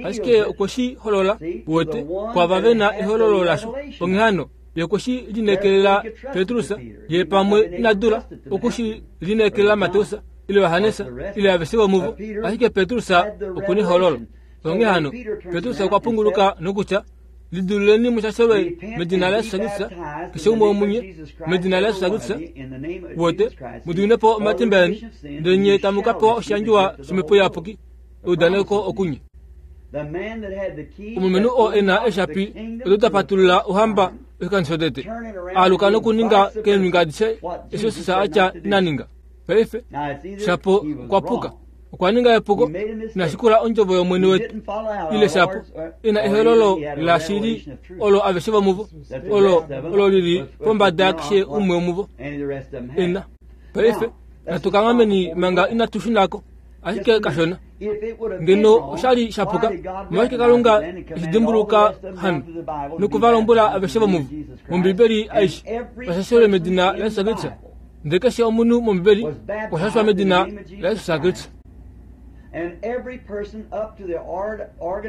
ashike okweshi holola wote kwava vena ehololo lasho onghee ye okweshi lineekelela Petrus ye pamwe inadula okushi lineekelela Mateus ile Yohanesa ile aveshe vomuvo ashike Petrus okuni hololo. Onghee hano Petrus okwa punguluka nokutya lidululeni mushashelwe medina la Yesu Kristo keshe umwe womunye medina la Yesu Kristo wote mudiwinepo omatimba eni ndele nye tamu ka pewa oshiyandjiwa shomhepo iyapuki eudaneko okunye. Omulumenhu oo ena eshapi odo tapatulula ohamba oshikando shotete aluka nokuninga keembinga adishe eshi Jesus atya inaninga. Paife shapo okwapuka okwa ninga epuko inashikula ondjovo yomwene wetu ile shapo ina ehololo lashili olo aveshe vomuvo olo olo lili pombada yakeshe umwe womuvo ina. Paife natukangameni manga inatushunako ashike kashona ngeno oshali shapuka omolwashike Kalunga eshidimbuluka hano nokuvalombwela aveshe vomuvo mombibeli aishe vashashelwe medina la Yesu Kristo ndele keshe omunhu mombibeli okwashashwa medina la Yesu Kristo.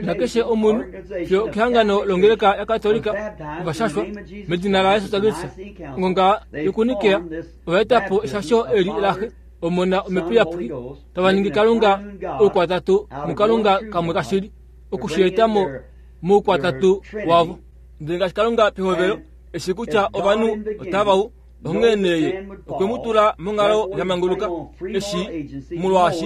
Nakeshe omunhu fiyo kehangano longeleka ya Katolika ovashashwa medina la Yesu Kristo ngonga yokunikea ovaetapo eshasho eli laxe omona omhepo iyapuki tavaningi Kalunga oukwatatu muKalunga kamwe kashili okushietamo moukwatatu wavo. Ndele ngaashi Kalunga pehovelo eshi kutya ovanhu otavau onghee neye okwe mu tula monghalo ya manguluka eshi molwaashi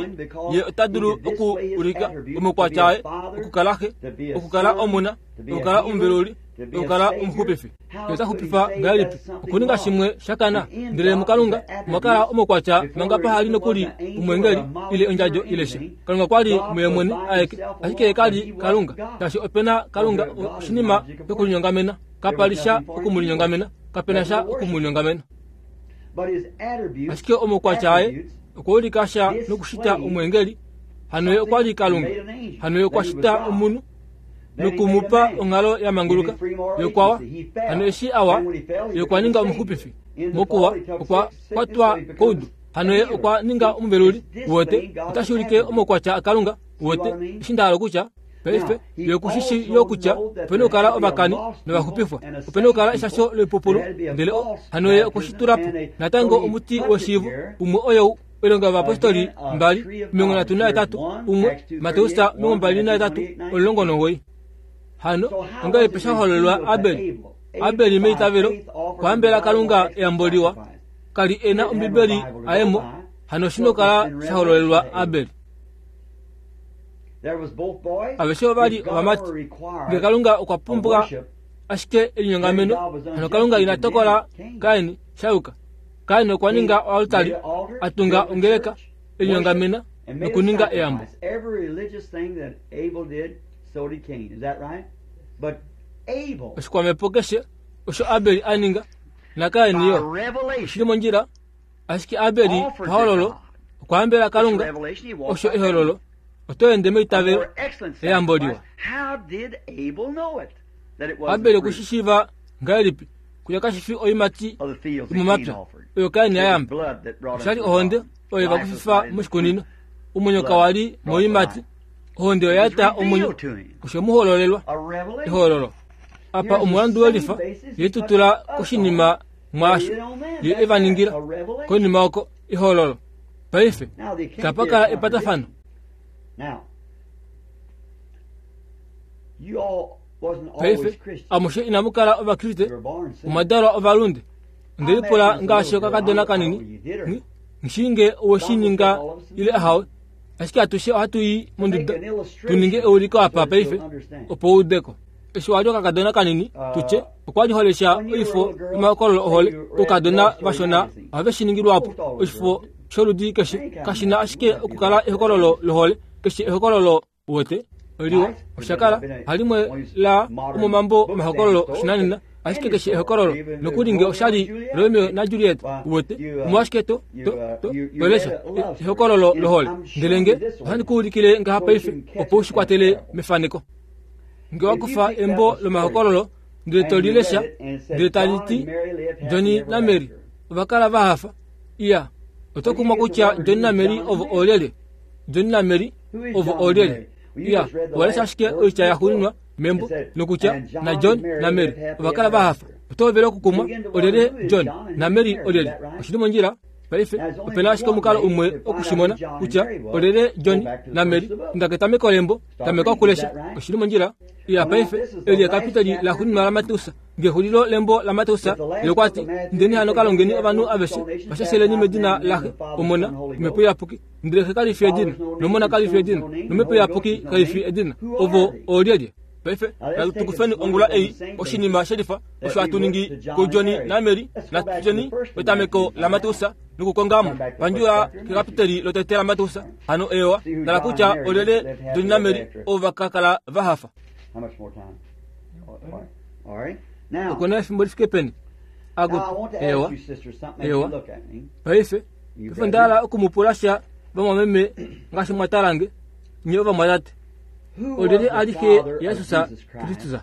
ye ota dulu oku ulika omaukwatya aye okukala xe okukala omona okukala omuveluli okukala omuxupifi. Ye ota xupifa ngahelipi okuninga shimwe shakana ndele muKalunga omwa kala omaukwatya manga pahali nokuli omwengeli ile ondjadjo ile sha. Kalunga kwali muye mwene aeke ashike ye kali Kalunga shaashi opena Kalunga oshinima shokulinyongamena kapali sha okumulinyongamena kapena sha okumulinyongamena. Ashike omaukwatya aye okwa ulika sha nokushita omwengeli hano ye okwali Kalunga hano ye okwashita omunhu nokumupa onghalo ya manguluka yokwawa hano eshi awa ye okwa ninga omuxupifi mokuwa okwa kwatwa koudu hano ye okwa ninga omuveluli wote otashi ulike omaukwatya aKalunga wote eshi ndahala kutya paife ye kushishi yo kutya opena okukala ovakani novaxupifwa opena okukala eshasho loipupulu ndele hano ye okweshitulapo natango omuti weshiivo umwe oyo oilonga yovapostoli mbali omilongo nhatu nahetatu umwe Mateus omilongo mbali nahetatu omulongo nomugoyi. Hano ongahelipi shahololelwa Abeli? Abeli meitavelo okwaambela Kalunga eyambo liwa kali ena ombibeli ayemo hano shino kala shahololelwa Abeli. Aveshe ovali ovamati ngee Kalunga okwa pumbwa ashike elinyongameno hano Kalunga ina tokola Kaini shayuka. Kaini okwa ninga oaltari atunga ongeleka elinyongamena nokuninga eyambo. Oshikwamhepo keshe osho Abeli aninga na Kaini yo oshili mondjila ashike Abeli pahololo okwaambela Kalunga osho ehololo oto ende meitavelo eyambo liwa. Abeli okushishiva ngahelipi kutya kashifi oimati yomomapya oyo Kaini ayamba oshali ohonde oyo evakufifa moshikunino omwenyo kawali moimati ohonde oya eta omwenyo osho muhololelwa ehololo. Apa omulandu welifa yetutula koshinima mwaasho ye evaningila konima oko ehololo. Paife tapakala epatafano. Paife amushe inamukala ovakriste omwadalwa ovalunde ndelipula ngaashi okakadona kanini nshinge oweshininga ile ahawe ashike atushe ohatu i monduda tuninge euliko apa paife opo uudeko. Eshi wali okakadona kanini tutye okwa li holesha oifo yomahokololo ohole oukadona vashona ohave shi ningilwapo oshifo sholudi keshe kashina ashike okukala ehokololo lohole keshe ehokololo uwete oliwa oshakala halimwe la omomambo omahokololo oshinanena ashike keshe ehokololo nokuli nge oshali Romeo na Juliet uwete omolwashike to to to tolesha ehokololo lohole ndele nge ohandi kuulikile ngaha paife opo ushikwatele mefaneko nge wakufa embo lomahokololo ndele tolilesha ndele taliti Johnny na Mary ovakala vahafa iya oto kumwa kutya Johnny na Mary ovo olyelye Johnny na Mary ovo olyelye iya walesha ashike oitya yaxuuninwa membo nokutya na John na Mary ovakala vahafa oto vele okukumwa olyelye John na Mary olyelye oshili mondjila paife opena ashike omukalo umwe okushimona kutya olyelye John na Mary inda ketameko lembo tameka okulesha oshili mondjila iya paife eli ekapitali laxuuninwa laMateus ngexulilo lembo laMateus lokwati ndeni hano kalongeni ovanhu aveshe vashasheleni medina laxe omona omhepo iyapuki ndele xe kalifi edina nomona kalifi edina nomhepo iyapuki kalifi edina ovo olyelye paife natukufeni ongula ei oshinima shelifa osho hatu ningi kuJohn na Mary natujeni petameko laMateus nokukongamo pandjula kekapiteli lotete laMateus hano ewa tala kutya olyelye John na Mary ovo vakakala vahafa How much more time? All right. Now, okuna efimbo lifike peni now I akuti want to ewa ask you, sister, something as you Ewa. look at me. paife You paife ndala okumupula sha vamwameme ngaashi mwatalange nye ovamwatate Who was olyelye the ali xe father of Yesus Jesus Christ? Kristus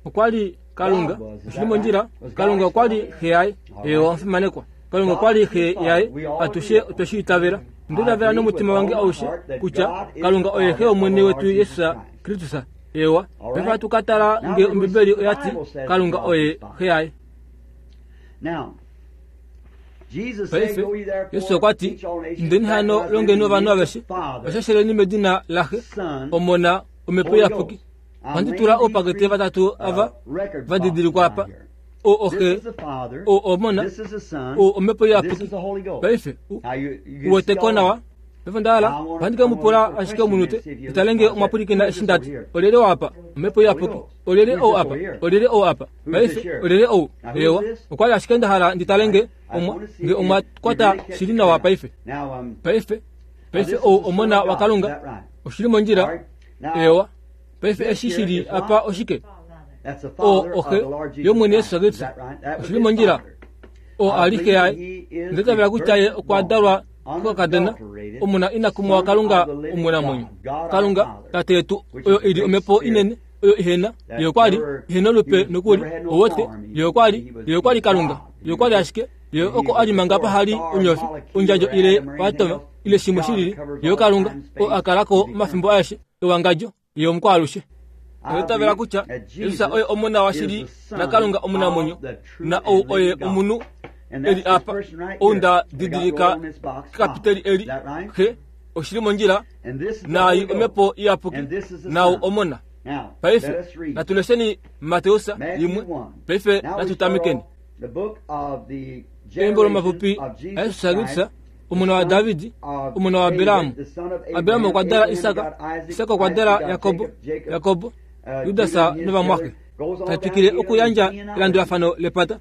okwali Kalunga God was, is oshili that mondjila right? Was God Kalunga okwali exalted? xe yaye All ewa right. omufimanekwa Kalunga okwali xe yaye atushe otweshi itavela nditavela nomutima wange aushe kutya Kalunga oye xe omwene wetu Yesus Kristus ewa paife hatu katala nge ombibeli oyati Kalunga oye xe yaye Now, Jesus said, paife Go ye therefore, Yesu okwati teach all nations, indeni hano baptizing longeni them in the ovanhu name of aveshe the Father, vashasheleni medina laxe Son, omona omhepo Holy iyapuki Ghost. I'm ohandi laying tula these oupakete three, vatatu uh, ava record vadidilikwa boxes apa down here. o This oxe is the Father, o omona this is the Son, o omhepo this iyapuki is the Holy Ghost. paife u- Now you, you can see uweteko all nawa paife ndala ohandi ke mupula ashike omunute italenge omwapulikina eshi ndati olyelye ou apa omhepo iyapuki olyelye ou apa olyelye ou apa paife olyelye ou ewa okwali ashike ndahala nditalenge omwa nge omwa kwata shili nawa paife Now, um, paife now paife this is ou the Son omona of wa God. Is Kalunga that right? oshili mondjila All right. Now, ewa paife this eshi here shili is what? apa oshike That's the o Father of oxe the Lord Jesus yomwene Christ. Yesu Is Kristu that right? That was oshili his mondjila father. o I ali xe believe yaye he is ndetavela the kutya ye okwa dalwa firstborn, kokakadona unadulterated omuna inakumwa wa Son Kalunga of the living omunamwenyo God, God our Kalunga Father, tate yetu which oyo is the ili great omhepo spirit inene oyo ihena that ye okwali never- ihena olupe he was- nokuli never had no owote form. He- ye okwali he was- ye okwali he was Kalunga God. ye okwali ashike ye And he oko was ali manga before pahali star, onyofi molecule, ondjadjo or ile atom or anything watoma else. ile shimwe God shilili covers ye all Kalunga time, o space, akalako and omafimbo aeshe ewangadjo ye omukwaalushe I Ndetavela believe kutya that Yesus Jesus oye omona wa is shili the Son na Kalunga omunamwenyo of the true na ou and oye living God. omunhu And eli that's this apa person right ou here. nda They got didilika rolled on this box, kekapiteli Father. eli Is that right? xe oshili mondjila And this is the naayi Holy Ghost. omhepo iyapuki And this is the nau Son. omona Now, paife let us read. natulesheni Mateus Matthew yimwe one. paife Now we start natutamikeni off the book of the embo generation lomapupi of Jesus aYesu Christ, Kristu omona wa the son Davidi of omona wa David, Abiramu the son of Abiramu Abraham. okwa dala Abraham Isaka begot Isaac, Isaka okwa Isaac dala begot Yakobo Jacob, Jacob, Yakobo uh, Judas Judah and his novamwake brother. Goes on tatwikile down okuyandja to elandulafano lepata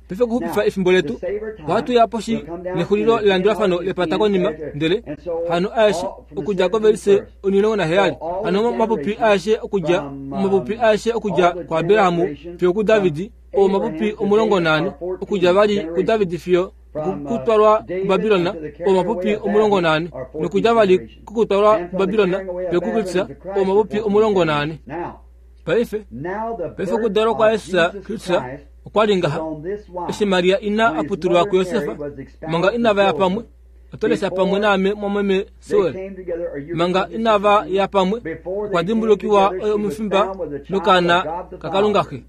paife okuxupifa Now, efimbo letu to save our time, ohatu ya poshi we'll come down nexulilo to the lelandulafano genealogy lepata konima after. ndele And so, hano aeshe all from the okudja kovelise seventeenth verse. omulongo naheyali So all hano the mapupi generations aeshe okudja from, um, omapupi aeshe okudja all the kuAbirahamu generations fiyo kuDavidi from o mapupi Abraham to omulongo David naane are fourteen okudja vali generations. kuDavidi fiyo From, uh, kutwalwa David kuBabilona unto the o carrying mapupi away of omulongo Babylon naane are fourteen nokudja vali generations. kukutwalwa And from the kuBabilona carrying away of fiyo Babylon kuKristus to Christ o are mapupi fourteen omulongo naane generations. Now, paife now the paife birth okudalwa kwa of Yesus Jesus Kristu Christ okwali was ngaha on this wise. eshi Maria ina When his aputulwa mother kuYosefa Mary was espoused manga to inava ya pamwe Joseph, otolesha pamwe naame mwamweme they Sewel came together, or you manga read this inava sister, ya pamwe before okwa they came dimbulukiwa together, oyo she was omufimba found with the child nokaana of God the kaKalunga Father. xe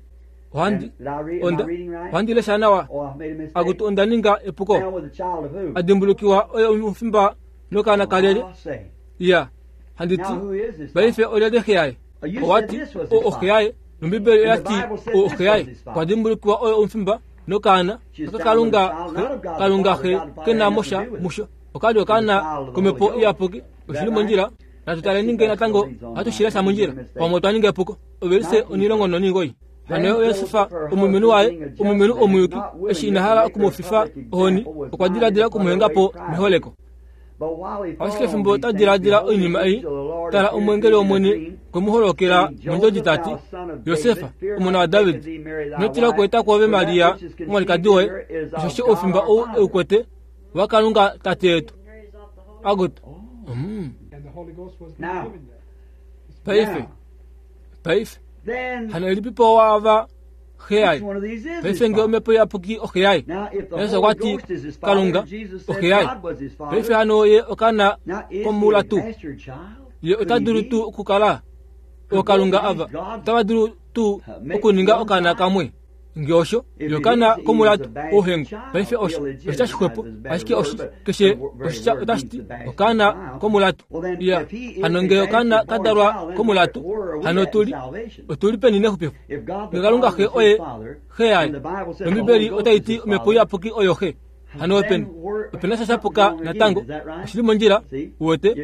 ohandi And did I read, am I onda reading right? ohandi lesha nawa Oh, I've made a mistake. akuti onda ninga epuko Found with the child of who? adimbulukiwa oyo omufimba nokaana kalele I'll say. iya handiti Now who is this? paife olyelye xe yaye You said owati this was o his oxe father. yaye nombibeli And the oyati Bible said o this oxe yaye was his father. okwa dimbulukiwa oyo omufimba nokaana She was aka found with Kalunga the child, not of God the Kalunga Father. xe God the Father kena had nothing mosha to do with it. musho okali okaana The child of the komhepo Holy Ghost. iyapuki Is that oshili right? mondjila Natu taleni ngee natango ohatu shilesha mondjila pamwe otwa ninga epuko. Ovelise onilongo noningoi. Hano Yosefa omulumenhu waye, omulumenhu omuyuki, eshi ina hala okumufifa ohoni, okwa diladila okumuhenga po meholeko. Ashike fimbo ta diladila oinima ei, tala omwengeli wOmwene okwe mu holokela mondjodi ta ti, Yosefa, omona waDavid, ino tila okweeta kwoove Maria omwalikadi woye, osheshi oufimba ou e u kwete owaKalunga Tate yetu. Agoto. Mm. Paife, paife, hano elipipo waava xe yaye? Paife ngee omhepo iyapuki oxe yaye, Jesus okwa ti Kalunga oxe yaye. Paife hano ye okaana komula tuu? Ye ota dulu tuu okukala ookalunga ava otava dulu tuu okuninga okaana kamwe? Ngee osho, ye okaana komulatu ouhengu. Paife osho oshitya shixwepo, ashike oshi keshe oshitya otashi ti okaana komulatu. Ya, hano ngee okaana ka dalwa komulatu, hano otuli otuli peni nexupifo? Ngee Kalunga xe oye xe yaye, nOmbibeli otai ti omhepo iyapuki oyo xe, hano openi opena sha shapuka natango. Oshili mondjila, uwete?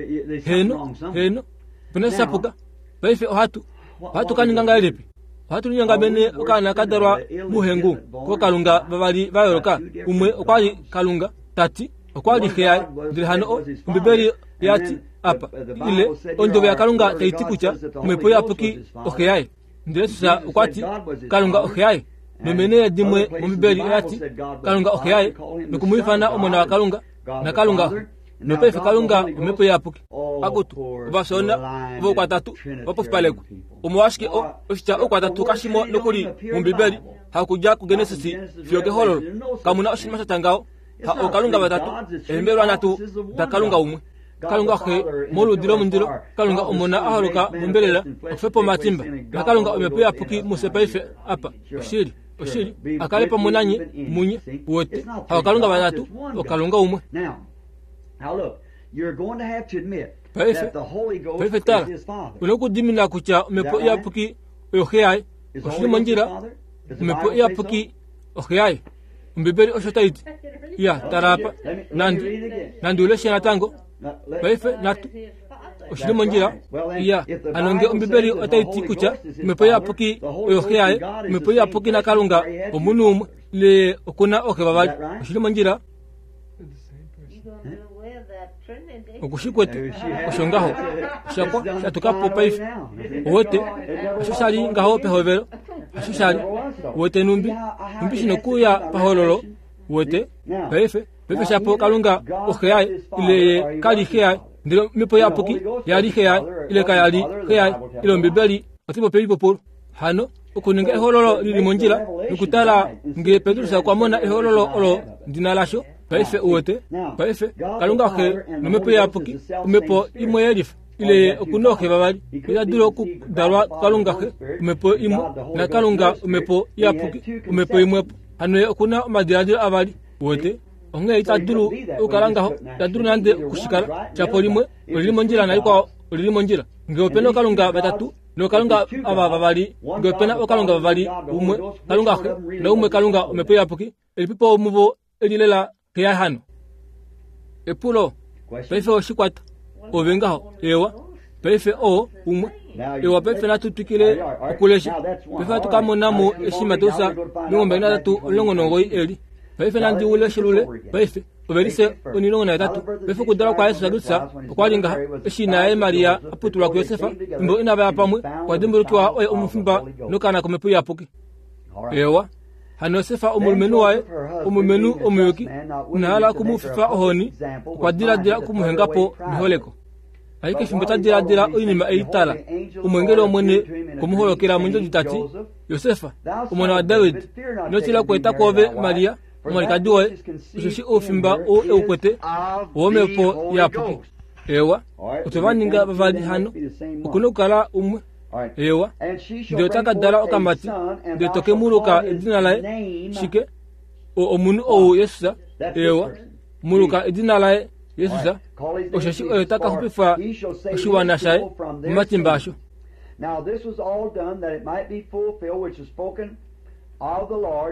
Heeno, heeno, opena sha shapuka. Paife ohatu ohatu ka ninga ngahelipi? Ohatu linyongamene okaana ka dalwa mouhengu kookalunga vavali va yooloka. Umwe okwa li Kalunga, ta ti okwa li xe yaye, ndele hano Ombibeli ya ti apa, ile ondjovo yaKalunga tai ti kutya omhepo iyapuki oxe yaye. Ndele Jesus okwa ti Kalunga oxe yaye. Nomeenhele dimwe mOmbibeli oya ti Kalunga oxe yaye, noku mu ifana omona waKalunga, naKalunga Xe. Nopaife Kalunga omhepo iyapuki. Akutu, ovafyoona voukwatatu va pofipalekwa. Omolwashike o oshitya oukwatatu kashimo nokuli mOmbibeli, hakudja kuGenesis fiyo kehololo. Kamu na oshinima sha tya ngaho. Ha ookalunga vatatu, eembelwa nhatu daKalunga umwe. Kalunga Xe moludi lomundilo, Kalunga Omona a holoka mombelela, okufepa omatimba, naKalunga omhepo iyapuki mufye paife apa. Oshili, oshili, a kale pamwe nanye munye, uwete. Ha ookalunga vatatu, oKalunga umwe. Paife, paife tala, una okudimina kutya omhepo iyapuki oyo xe yaye. Oshili mondjila, omhepo iyapuki oxe yaye. Ombibeli osho tai ti. Ya, tala apa. Nandi, nandi uleshe natango. Paife natu oshili mondjila. Ya, hano ngee Ombibeli otai ti kutya omhepo iyapuki oyo xe yaye, omhepo iyapuki naKalunga omunhu umwe, ile okuna ooxe vavali. Oshili mondjila. Okushi kwete osho ngaho oshakwa shatuka po paife. Uwete, osho sha li ngaho pehovelo, osho sha li. Uwete numbi, numbi shino kuya pahololo. Uwete, paife, paife shapo Kalunga oxe yaye, ile ye ka li xe yaye, ndele omhepo iyapuki ya li xe yaye, ile kaya li xe yaye, ile Ombibeli otai popi oipupulu. Hano okuninga ehololo lili mondjila nokutala ngee Petrus okwa mona ehololo olo ndina lasho. Paife uwete, paife Kalunga Xe nomhepo iyapuki, omhepo imwe yelifa, ile ye okuna ooxe vavali. Ita dulu okudalwa kuKalunga Xe, omhepo imwe, naKalunga omhepo iyapuki, omhepo imwepo. Hano ye okuna omadiladilo avali, uwete. Onghee ita dulu okukala ngaho, ita dulu nande okushikala. Shapo limwe olili mondjila nalikwao olili mondjila. Ngee opena ookalunga vatatu nookalunga ava vavali, ngee opena ookalunga vavali, umwe Kalunga Xe naumwe Kalunga omhepo iyapuki, elipipo muvo eli lela xe yaye hano? Epulo, paife oshikwata ove ngaho, ewa, paife oo umwe. Ewa, paife natu twikile okulesha. Paife ohatu ka mona mo eshi Mateus omilongo mbali nahatatu omulongo nomugoyi eli. Paife nandi uleshulule paife ovelise onilongo nahetatu. Paife okudalwa kwaJesus Kristus okwa li ngaha, eshi ina yaye Maria a putulwa kuJosef, fimbo inava ya pamwe, okwa dimbulukiwa oye omufimba nokaana komhepo iyapuki. Ewa, hano Josef omulumenhu waye, omulumenhu omuyuki, ina hala okumufifa ohoni, okwa diladila okumuhenga po meholeko. Ashike fimbo ta diladila oinima ei, tala, omwengeli wOmwene okwe mu holokela mondjodi ta ti, Josef, omona waDavid, ino tila okweeta kwoove Maria, omwalikadi woye, osheshi oufimba ou e u kwete owomhepo iyapuki. Ewa, otwe va ninga vavali hano, okuna okukala umwe. Ewa, ndele ota ka dala okamati, ndele to ke mu luka edina laye shike? Omunhu ou Jesus. Ewa, mu luka edina laye Jesus, osheshi oye ta ka xupifa oshiwana shaye momatimba asho. Now this was all done that it might be fulfilled which was spoken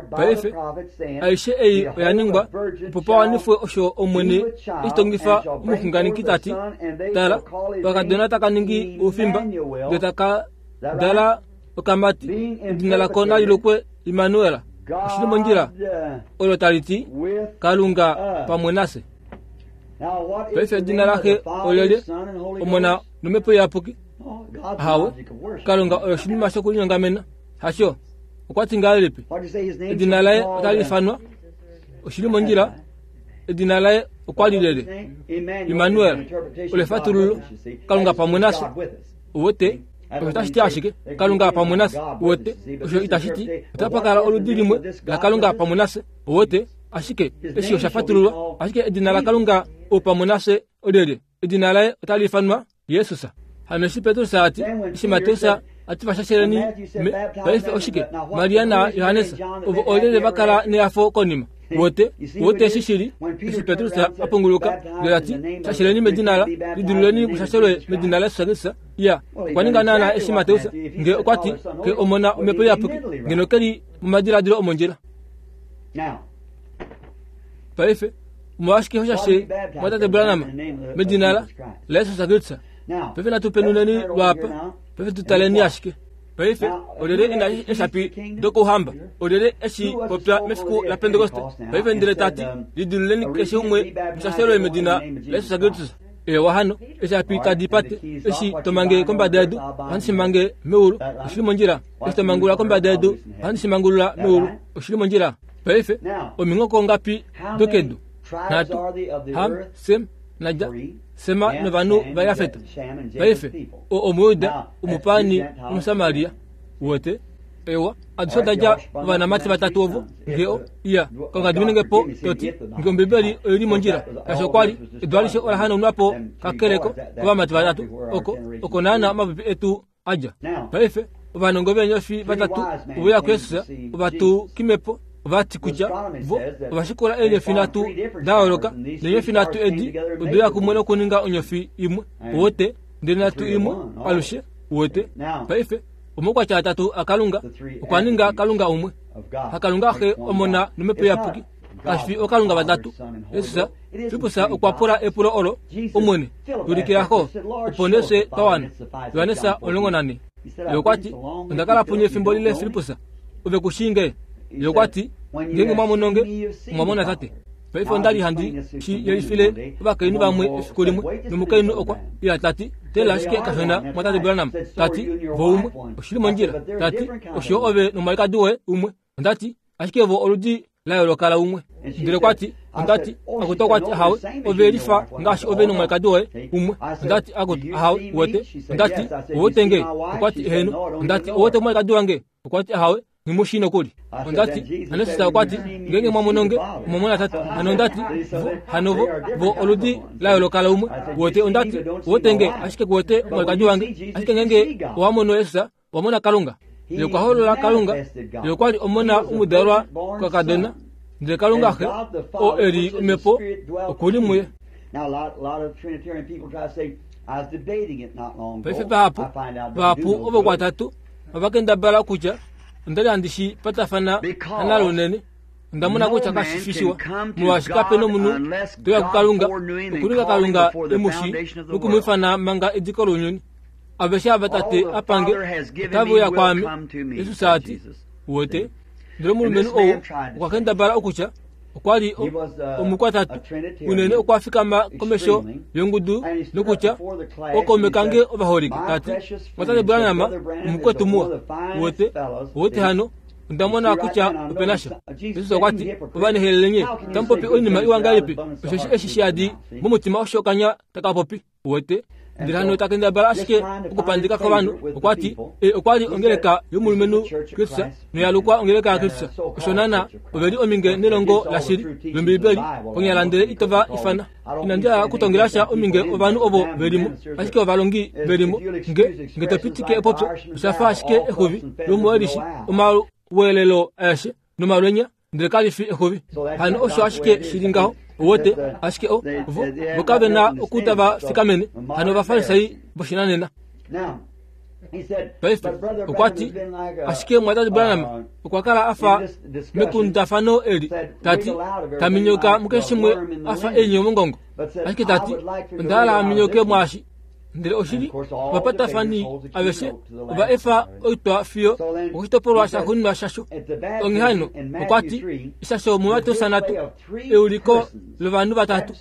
Paife aishe ei oya ningwa opo pawanifwe osho Omwene eshi tongifa omuxunganeki tati, tala, okakadona taka ningi oufimba ndele taka dala okamati, edina lako nali lukwe Immanuel. Oshili mondjila olo tali ti Kalunga pamwe nafye. Paife edina laxe olyelye? Omona nomhepo iyapuki? Ahawe, Kalunga oyo oshinima shokulinyongamena. Hasho, okwa ti ngahelipi? Edina laye otali ifanwa. Oshili mondjila, edina laye okwa li lele Immanuel, olefatululo Kalunga pamwe nafye. Uwete osho tashi ti ashike Kalunga pamwe nafye. Uwete osho itashi ti otapa kala oludi limwe la Kalunga pamwe nafye. Uwete ashike eshi osha fatululwa, ashike edina la Kalunga pamwe nafye olyelye? Edina laye otali ifanwa Jesus. Hano eshi Petrus ati, eshi Mateus ati vashasheleni paife oshike Maria na Johannes ovo olyelye vakala neyafo konima. Wote wote eshi shili eshi Petrus apunguluka ndele ati shasheleni medina la lidululeni kushashelwe medina la Yesu Kristus. Ya okwa ninga naana eshi Mateus nge okwa ti ke omona omhepo iyapuki ngeno keli momadiladilo omondjila. Paife omolwashike hoshashe mwatate Branham medina la Yesu Kristus? Paife natu penuneni lwapa, paife tutaleni ashike. Paife olyelye ena eshapi dokouhamba, olyelye eshi popya mefiku la Pentekoste. Paife ndele tati lidululeni keshe umwe mushashelwe medina la Yesu Kristus. Ewa hano eshapi tadi pate eshi tomange kombada yedu ohandi shimange meulu. Oshili mondjila. Eshi tomangulula kombada yedu ohandi shimangulula meulu. Oshili mondjila. Paife ominghoko ngapi dokedu? Nhatu, Ham, Sem naJa, Sema novanhu vaYafeta. Paife o Omuyuda, Omupani, Omusamaria. Wote ewa adishe odaja ovanamati vatatu ovo nge o iya Kalunga diminenge po toti nge Ombibeli oili mondjila kasho kwali edu alishe ola hanaunwa po kakeleko kovamati vatatu oko oko naana omapipi etu adja. Paife ovanongo veenyofi vatatu oveya kuYesus ovatukimepo ovati kutya vo ovashikula eenyofi nhatu da yooloka neenyofi nhatu edi odeya kumwe nokuninga onyofi imwe. Uwete ndele nhatu imwe alushe. Uwete paife omaukwatya atatu aKalunga okwa ninga Kalunga umwe. HaKalunga Xe, Omona nomhepo iyapuki. Kashi fi oKalunga vatatu. Jesus Filippus okwa pula epulo olo, Omwene, tulikilako opo nee fye twa wana. Johannes omulongo nane. Ye okwa ti, onda kala punye efimbo lile Filippus, ove ku shii nge? Ye okwa ti, ngeenge mwa mono nge, omwa mona Tate. Paife onda li handi shi yelifile ovakainhu vamwe efiku limwe, nomukainhu okwa ila tati, tela ashike kashona mwatate Branham, tati vo umwe, oshili mondjila, tati osho ove nomwalikadi woye umwe. Ondati ashike vo oludi la yooloka la umwe. Ndele okwati, ondati akutu okwati ahawe, ove lifa ngaashi ove nomwalikadi woye umwe. Ondati akutu ahawe, wote. Ondati owote nge, okwati eheno. Ondati owote omwalikadi wange, okwati ahawe, ngimushi nokuli. Ondati anesisa okwati ngeenge mwa nge omwa mona Tate. Hano ondati hano vo vo oludi la yooloka la umwe. Wote ondati wote nge ashike kuwote omwalikadi wange, ashike ngeenge owa mono Yesus, owa mona Kalunga. Ye okwa holola Kalunga. Ye okwa li omona omudalwa kakadona, ndele Kalunga Xe o eli omhepo okuli muye. Paife vahapu vahapu ovo kwatatu ovakendabala kutya onda li handi shi patafana nalo unene. Onda mona kutya kashi fi shiwa, molwaashi kape nomunhu toya kuKalunga okuninga Kalunga emushi nokumwifana manga ediko lounyuni. Aveshe ava Tate apange otave uya kwaame, Jesus ati. Uwete ndele omulumenhu ou okwa kendabala okutya okwa li omukwatatu unene okwa fikama komesho yongudu nokutya okaume kange ovaholike, tati mwatate Branham omukwetu muwa. Uwete uwete hano onda mona kutya opena sha. Jesus okwa ti ovanehelele nye tamupopi oinima iwa ngahelipi, osho eshi shiyadi momutima osho okanya taka popi. Uwete ndele hano takendabala ashike okupandika kovanhu. Okwa ti e okwa li ongeleka yomulumenhu Kristus noyalukwa ongeleka yaKristus. Osho naana ove li ominge nelongo lashili lOmbibeli konyala ndele itova ifana. Inandi hala okutongela sha ominge ovanhu ovo velimo, ashike ovalongi velimo nge nge topitike epopyo osha fa ashike exuvi lomuwelishi omalweelelo aeshe nomalwenya ndele kali fi exuvi. Hano osho ashike shili ngaho. Uwete ashike o vo vo kave na okutava fikamene. Hano ovafarisai voshinanena. Paife okwa ti ashike mwatate Branham okwa kala afa mekundafano eli tati taminyoka mukeshimwe afa enyo mongongo ashike tati onda hala aminyoke mwashi ndele oshili ovapatafani aveshe ova efa oitwa fiyo okushitopolwa shaxuuninwa shasho. Onghee hano okwa ti ishasho muMateus nhatu euliko lovanhu vatatu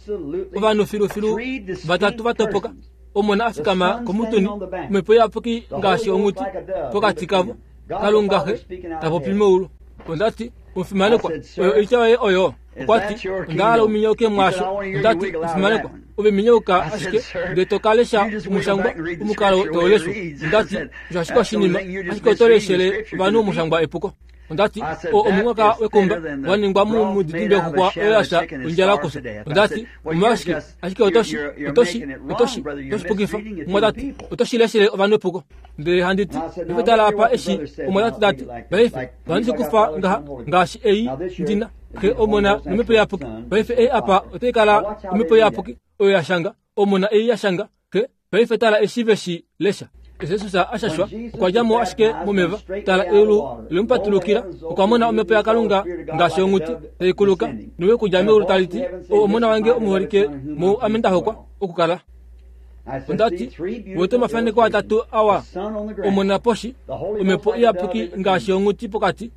ovanhu filufilu vatatu vatopoka omona afikama komutuni omhepo iyapuki ngaashi onghuti pokati kavo Kalunga Xe tapopi meulu. Ondati omufimanekwa oyo oitya yoye oyo. Okwa ti onda hala uminyoke mwaasho. Ondati omufimanekwa ove minyoka ashike ndele to kalesha omushangwa omukalo touleshwa. Ondati osho ashike oshinima ashike oto leshele ovanhu omushangwa epuko. Ondati o omunghoka wekumba waningwa mumudidimbe wexuxwa oyo yasha ondjala okusa. Ondati omolwashike ashike otoshi otoshi otoshi otoshipukifa omwatati otoshileshele ovanhu epuko. Ndele handi ti paife tala apa eshi omwatati tati paife ohandi kufa ngaha ngaashi ei ndina Xe omona nomhepo iyapuki. Paife ei apa otai kala omhepo iyapuki oyo yashanga omona ei yashanga Xe. Paife tala eshi veshi lesha. Jesus ashashwa okwa dja mo ashike momeva tala eulu lemupatulukila okwa mona omhepo yaKalunga ngaashi onghuti tai kuluka nowe kudja meulu tali ti o omona wange omuholike mou ame nda hokwa okukala. Ondati wete omafaneko atatu awa omona poshi omhepo iyapuki ngaashi onghuti pokati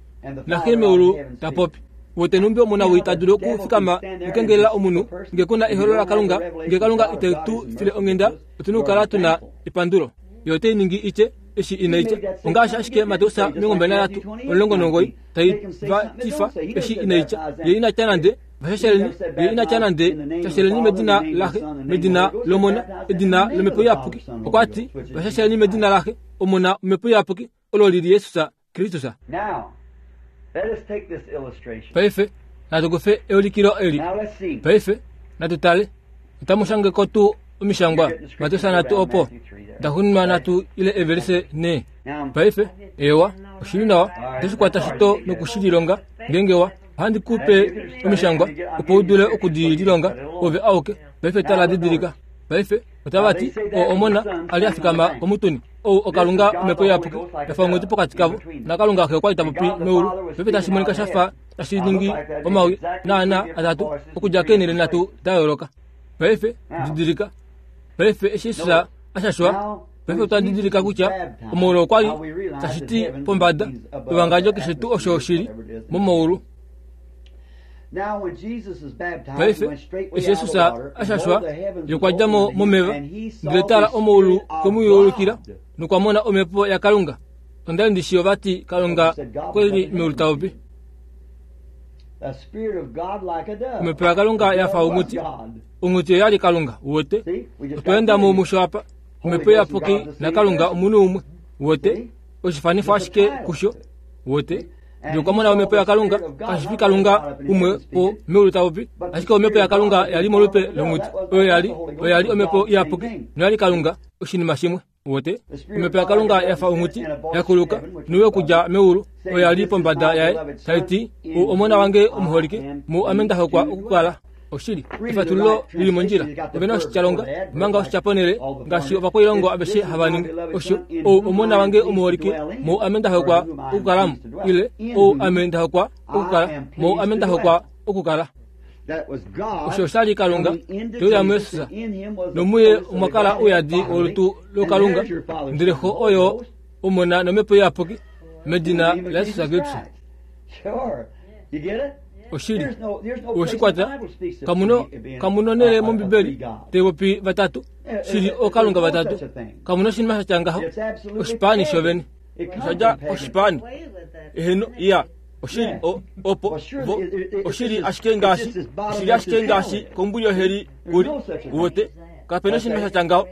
naxe meulu tapopi. Wete numbi omona wii ta dulu okufikama nokukengelela omunhu nge kuna eholo laKalunga nge Kalunga ite tu file onghenda otuna okukala tuna epandulo. Yo otai ningi itye eshi ina itya ongaashi ashike Mateus omilongo mbali nanhatu omulongo nomugoyi tai va tifa eshi ina itya ye ina tya nande vashasheleni ye ina tya nande shasheleni medina laxe medina lomona edina lomhepo iyapuki. Okwa ti vashasheleni medina laxe omona omhepo iyapuki olo lili Jesus Kristus. Paife natu kufe eulikilo eli. Paife natu tale otamu shangeko tuu omishangwa Mateus nhatu opo daxuuninwa nhatu ile evelise nhee. Paife ewa oshili nawa otoshikwata shito nokushililonga ngeenge wa ohandi kupe omishangwa opo u dule okudililonga ove auke. Paife tala didilika. Paife otava ti o omona ali afikama komutuni ou oKalunga omhepo iyapuki yafa onghuti pokati kavo naKalunga Xe okwa li tapopi meulu. Paife tashi monika shafa tashi ningi omawi naana atatu okudja keenhele nhatu da yooloka. Paife didilika. Paife eshi Jesus ashashwa paife otwa didilika kutya omaulu okwa li tashi ti pombada ewangadjo keshe tuu osho shili momaulu. Paife eshi Jesus ashashwa ye okwa dja mo momeva ndele tala omaulu kwemuyuulukila nokwa mona omhepo yaKalunga. Onda li ndishi ovati Kalunga kweli meulu tapopi. Omhepo yaKalunga yafa onghuti. Onghuti oyali Kalunga uwete. Otwa enda mo musho apa. Omhepo iyapuki naKalunga omunhu umwe uwete. Oshifanifo ashike kusho uwete. Ndele okwa mona omhepo yaKalunga kashi fi Kalunga umwe po meulu tapopi ashike omhepo yaKalunga yali molupe longhuti oyo yali oyo yali omhepo iyapuki noyali Kalunga oshinima shimwe uwete. Omhepo yaKalunga yafa onghuti yakuluka nowe kudja meulu oyo yali pombada yaye tai ti o omona wange omuholike mou ame nda hokwa okukala. Oshili efatululo lili mondjila ovena oshityalonga omanga oshityaponele ngaashi ovakwailongo aveshe hava ningi osho ou omona wange omuholike mou ame nda hokwa okukalamo ile ou ame nda hokwa okukala mou ame nda hokwa okukala. Osho oshali Kalunga teuya muYesus nomuye omwa kala ouyadi wolutu lokalunga ndele xo oyo omona nomhepo iyapuki medina laJesus Kristus. Oshili oshikwata kamuno kamuno nele mombibeli taipopi vatatu shili okalunga vatatu kamuno oshinima shatya ngaho oshipaani shovene oshadja oshipaani eheno iya oshili o opo vo oshili ashike ngaashi oshili ashike ngaashi kombuli yoheli kuli uwete kapena oshinima shatya ngaho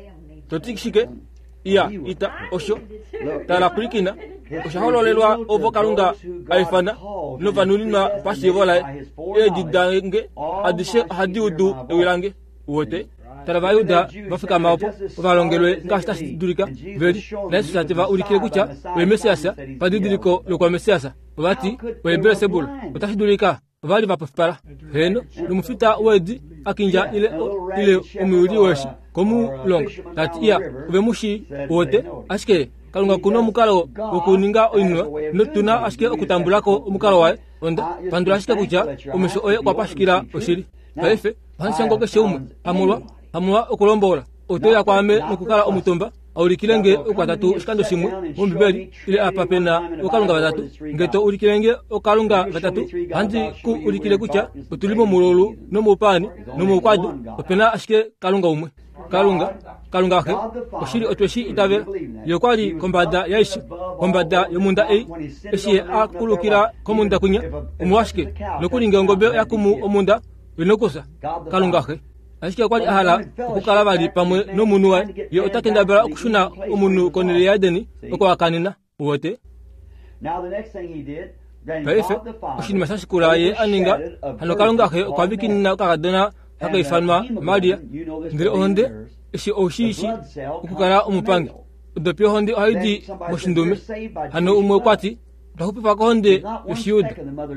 toti shike iya ita osho tala pwilikina osha hololelwa ovo Kalunga aifana novanuninwa pashiivo laye eedi dange adishe ohadi udu ewi lange uwete. Tala Ovayuda vafikama opo ovalongelwe ngaashi tashi dulika veli naJesus te va ulikile kutya oye Messias padidiliko lokwa Messias ovati oye Beelsebul otashi dulika ovali vapofipala heno nomufita weedi akindja ile ile omuyuli weshi komulonga tati iya ove mushi uwete ashike Kalunga kuna omukalo wokuninga oinima notuna ashike okutambulako omukalo waye. Onda pandula ashike kutya omesho oye okwa pashukila oshili. Paife ohandi shango keshe umwe hamolwa hamolwa okulombola otoya kwaame nokukala omutumba aulikile nge okwatatu oshikando shimwe mombibeli ile apa pena okalunga vatatu. Nge to ulikile nge okalunga vatatu handi ku ulikile kutya otuli momululu nomoupani nomoukwadu opena ashike kalunga umwe. Kalunga Kalunga xe oshili otweshi itavela ye kwali kombada yaishe kombada yomunda ei eshi ye akulukila komunda kunya omwashike nokulinga ongobe yakumu omunda inokusa. Kalunga xe ashike kwali ahala okukala vali pamwe nomunhu waye ye otakendabala okushuna omunhu konele yaEdeni oko akanena uwete. Paife oshinima shashikula ye aninga hano Kalunga xe okwa vikinina okakadona hakaifanwa Maria ndele ohonde eshi oshishi okukala omupangi odopi ohonde ohaidi moshindume hano umwe okwati otwaxupifa kohonde yoshiyuda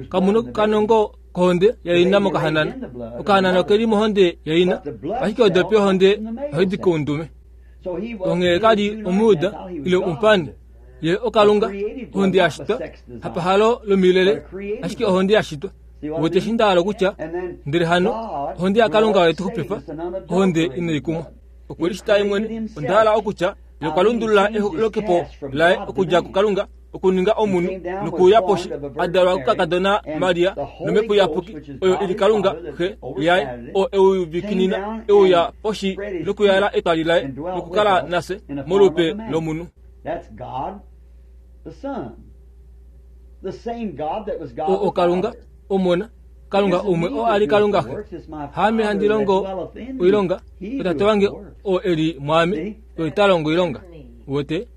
kamuno kanongo kohonde yaina mokahanana okahanana okeli mohonde yaina ashike odopi ohonde ohaidi koundume. Onghee kali omuyuda ile omupani ye okalunga ohonde yashitwa hapahalo lomilele ashike ohonde yashitwa wote shindalo kutya ndele hano ohonde yakalunga oyetuxupifa ohonde inaikumwa okwelishita imwene ondahala okutya ye okwa lundulula elokepo laye okudja kukalunga okuninga omunhu nokuuya poshi adalwa kukakadona Maria nomhepo iyapuki oyo ili Kalunga xe yaye oo euvikinina euya poshi nokuyala etwali laye nokukala nase molupe lomunhu. O Kalunga omona Kalunga umwe o ali Kalunga xe haame handi longo oilonga otate wange o eli mwame oita longo oilonga wote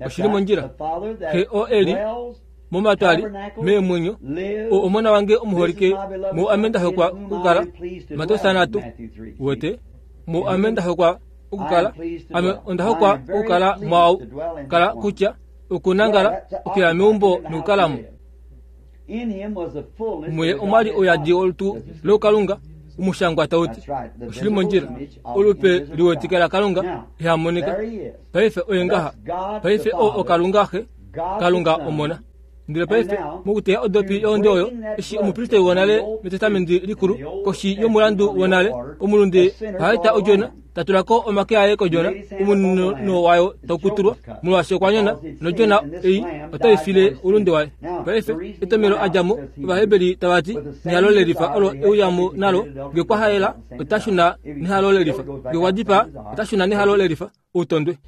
oshili mondjila xe o eli momatwali meemwenyo o omona wange omuholike mo ame ndahokwa okukala Mateus nhatu wote mo ame ndahokwa okukala ame ondahokwa okukala mwau kala kutya okunangala okuya meumbo nokukalamo. Muye omwali oyadi olutu lokalunga omushangwa tauti oshili mondjila olupe liwetikela Kalunga ihamonika. Paife oye ngaha paife o okalunga xe Kalunga omona. Ndele paife mokuteya odopi yohonde oyo eshi omupristeli wonale metestamenti likulu koshi yomulandu wonale omulunde ohaeta odjona tatulako omake aye kodjona omunino wayo taukutulwa molwaashi okwa nyona nodjona ei otaifile oulunde waye. Paife etomelo adjamo ovahebeli tavati nehalo lelifa olo euyamo nalo nge kwahaela otashuna nehalo lelifa nge kwadipa otashuna nehalo lelifa outondwe.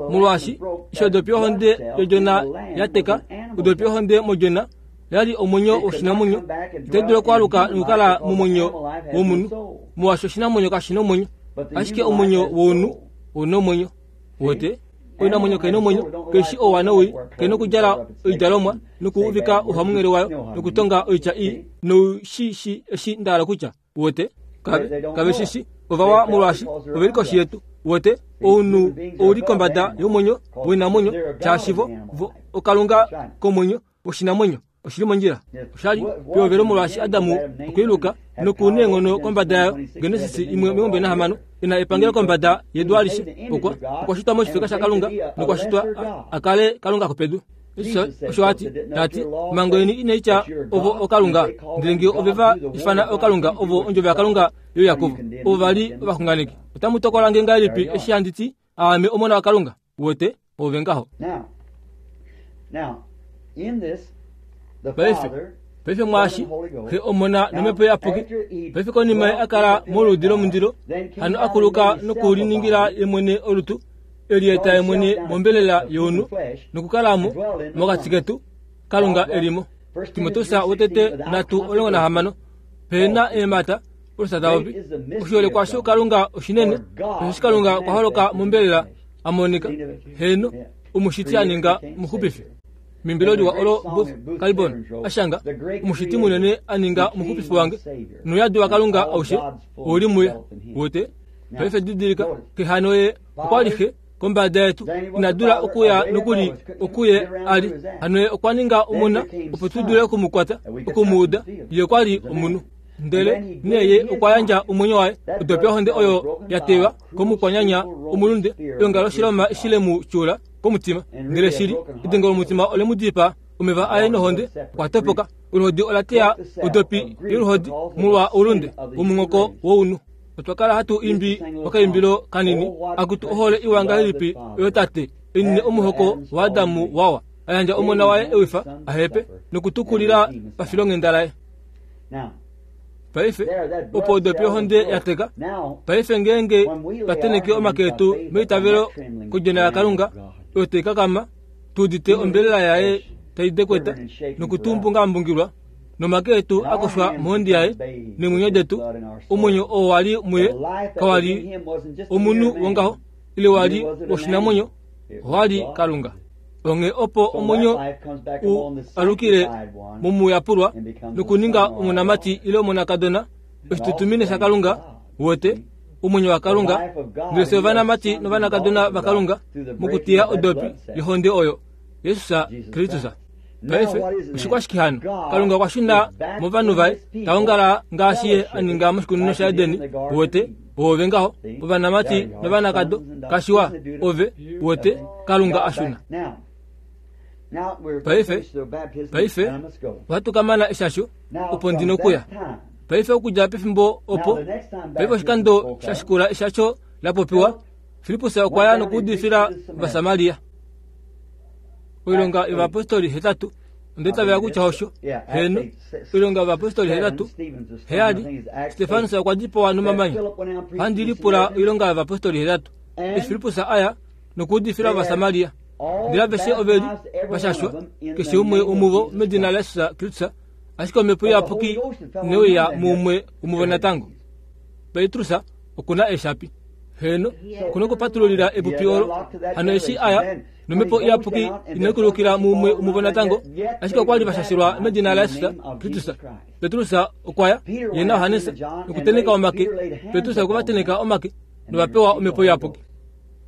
Molwaashi eshi odopi yohonde yodjona yateka odopi yohonde modjona yali omwenyo woshinamwenyo itai dulu okwaluka nokukala momwenyo womunhu molwaashi oshinamwenyo kashina omwenyo ashike omwenyo wounhu ouna omwenyo wote oinamwenyo kaina omwenyo keishi ouwa nowii kaina okudjala oidjalomwa nokuuvika ouhamunghele wayo nokutonga oitya ii noushishi eshi ndahala kutya wote kave kave shishi ovawa molwaashi oveli koshi yetu wote ounhu ouli kombada yomwenyo woinamwenyo shaashivo okalunga komwenyo woshinamwenyo oshili mondjila oshali pehovelo molwaashi Adamu okwiiluka nokuneenghono kombada yayo. Genesis imwe omilongo mbali nahamano ina epangelo kombada yedu alishe okwa okwashitwa moshifeka shaKalunga nokwashitwa akale Kalunga kopedu. Osho ati tati omhango yeni inaitya ovo okalunga ndele nge ove va ifana okalunga ovo ondjovo yaKalunga yoYakobo ovo vali ovaxunganeki. Otamu tokola nge ngahelipi eshi handi ti aame omona waKalunga? Wote ove ngaho. Paife paife mwaashi xe omona nomhepo iyapuki paife konima ye akala moludi lomundilo hano akuluka nokuliningila ye mwene olutu elieta ye mwene mombelela younhu nokukalamo mokati ketu Kalunga elimo. Timoteus wotete nhatu omulongo nahamano pena eemhata olusa tavopi oshiholekwa Kalunga oshinene osheshi Kalunga okwa holoka mombelela amonika heno omushiti aninga omuxupifi. Mimbilo liwa olo Booth Kalibon ashanga omushiti munene aninga omuxupifi wange nouyadi waKalunga aushe ouli muye wote. Paife didilika kehano ye okwali xe kombada yetu inadula okuya nokuli okuye ali hano ye okwa ninga omona opo tu dule okumukwata okumuuda ye okwali omunhu. Ndele neye okwa yandja omwenyo waye odopi yohonde oyo ya teywa komukwanyanya omulunde eongalo shiloma eshile mu tyula komutima. Ndele shili edengo lomutima ole mu dipaa omeva aye nohonde okwa topoka. Oluhodi ola teya odopi yoluhodi molwa oulunde womunghoko wounhu. Otwa kala hatu imbi okaimbilo kanini akutu ohole iwa ngahelipi oyo tate enine omuhoko waAdamu wawa ayandja omona waye ewifa ahepe nokutukulila pafilonghenda laye. Paife opo odopi yohonde ya teka. Paife ngeenge twa omake etu meitavelo kodjona yaKalunga oyo taikakama tuudite ombelela yaye tai dekweta nokutumbungambungilwa nomake etu akoshwa mohonde yaye neemwenyo detu. Omwenyo oo wali muye kawali omunhu wongaho ile wali woshinamwenyo, owali Kalunga. Onge opo omwenyo u alukile momuyapulwa nokuninga omonamati ile omonakadona oshitutumine shaKalunga wote omwenyo waKalunga. Ndele fye ovanamati novanakadona vaKalunga mokutiya odopi yohonde oyo Jesus Kristus. Paife oshikwashike hano? Kalunga okwa shuna movanhu vaye taongala ngaashi ye aninga moshikunino shaEdeni wote ove ngaho ovanamati novanakado kashiwa ove wote Kalunga ashuna. Paife paife ohatu kamana eshasho opo ndina okuya. Paife okudja pefimbo opo paife oshikando shashikula eshasho lapopiwa Filippus okwa ya nokuudifila Ovasamaria. Oilonga yovapostoli hetatu onde tavela kutya osho heno. Oilonga yovapostoli hetatu heyali Stefanus okwa dipawa nomamanya. Ohandi lipula oilonga yovapostoli hetatu eshi Filippus aya nokuudifila Ovasamaria. Ndele aveshe oveli vashashwa keshe umwe womuvo medina laJesus Kristus, ashike omhepo iyapuki ineuya muumwe womuvo natango. Petrus okuna eshapi heno okuna okupatululila epupi olo hano eshi aya nomhepo iyapuki inaikulukila muumwe womuvo natango, ashike okwali vashashilwa medina laJesus Kristus. Petrus okwaya ye naJohannes nokuteneka omake. Petrus okwa vateneka omake novapewa omhepo iyapuki.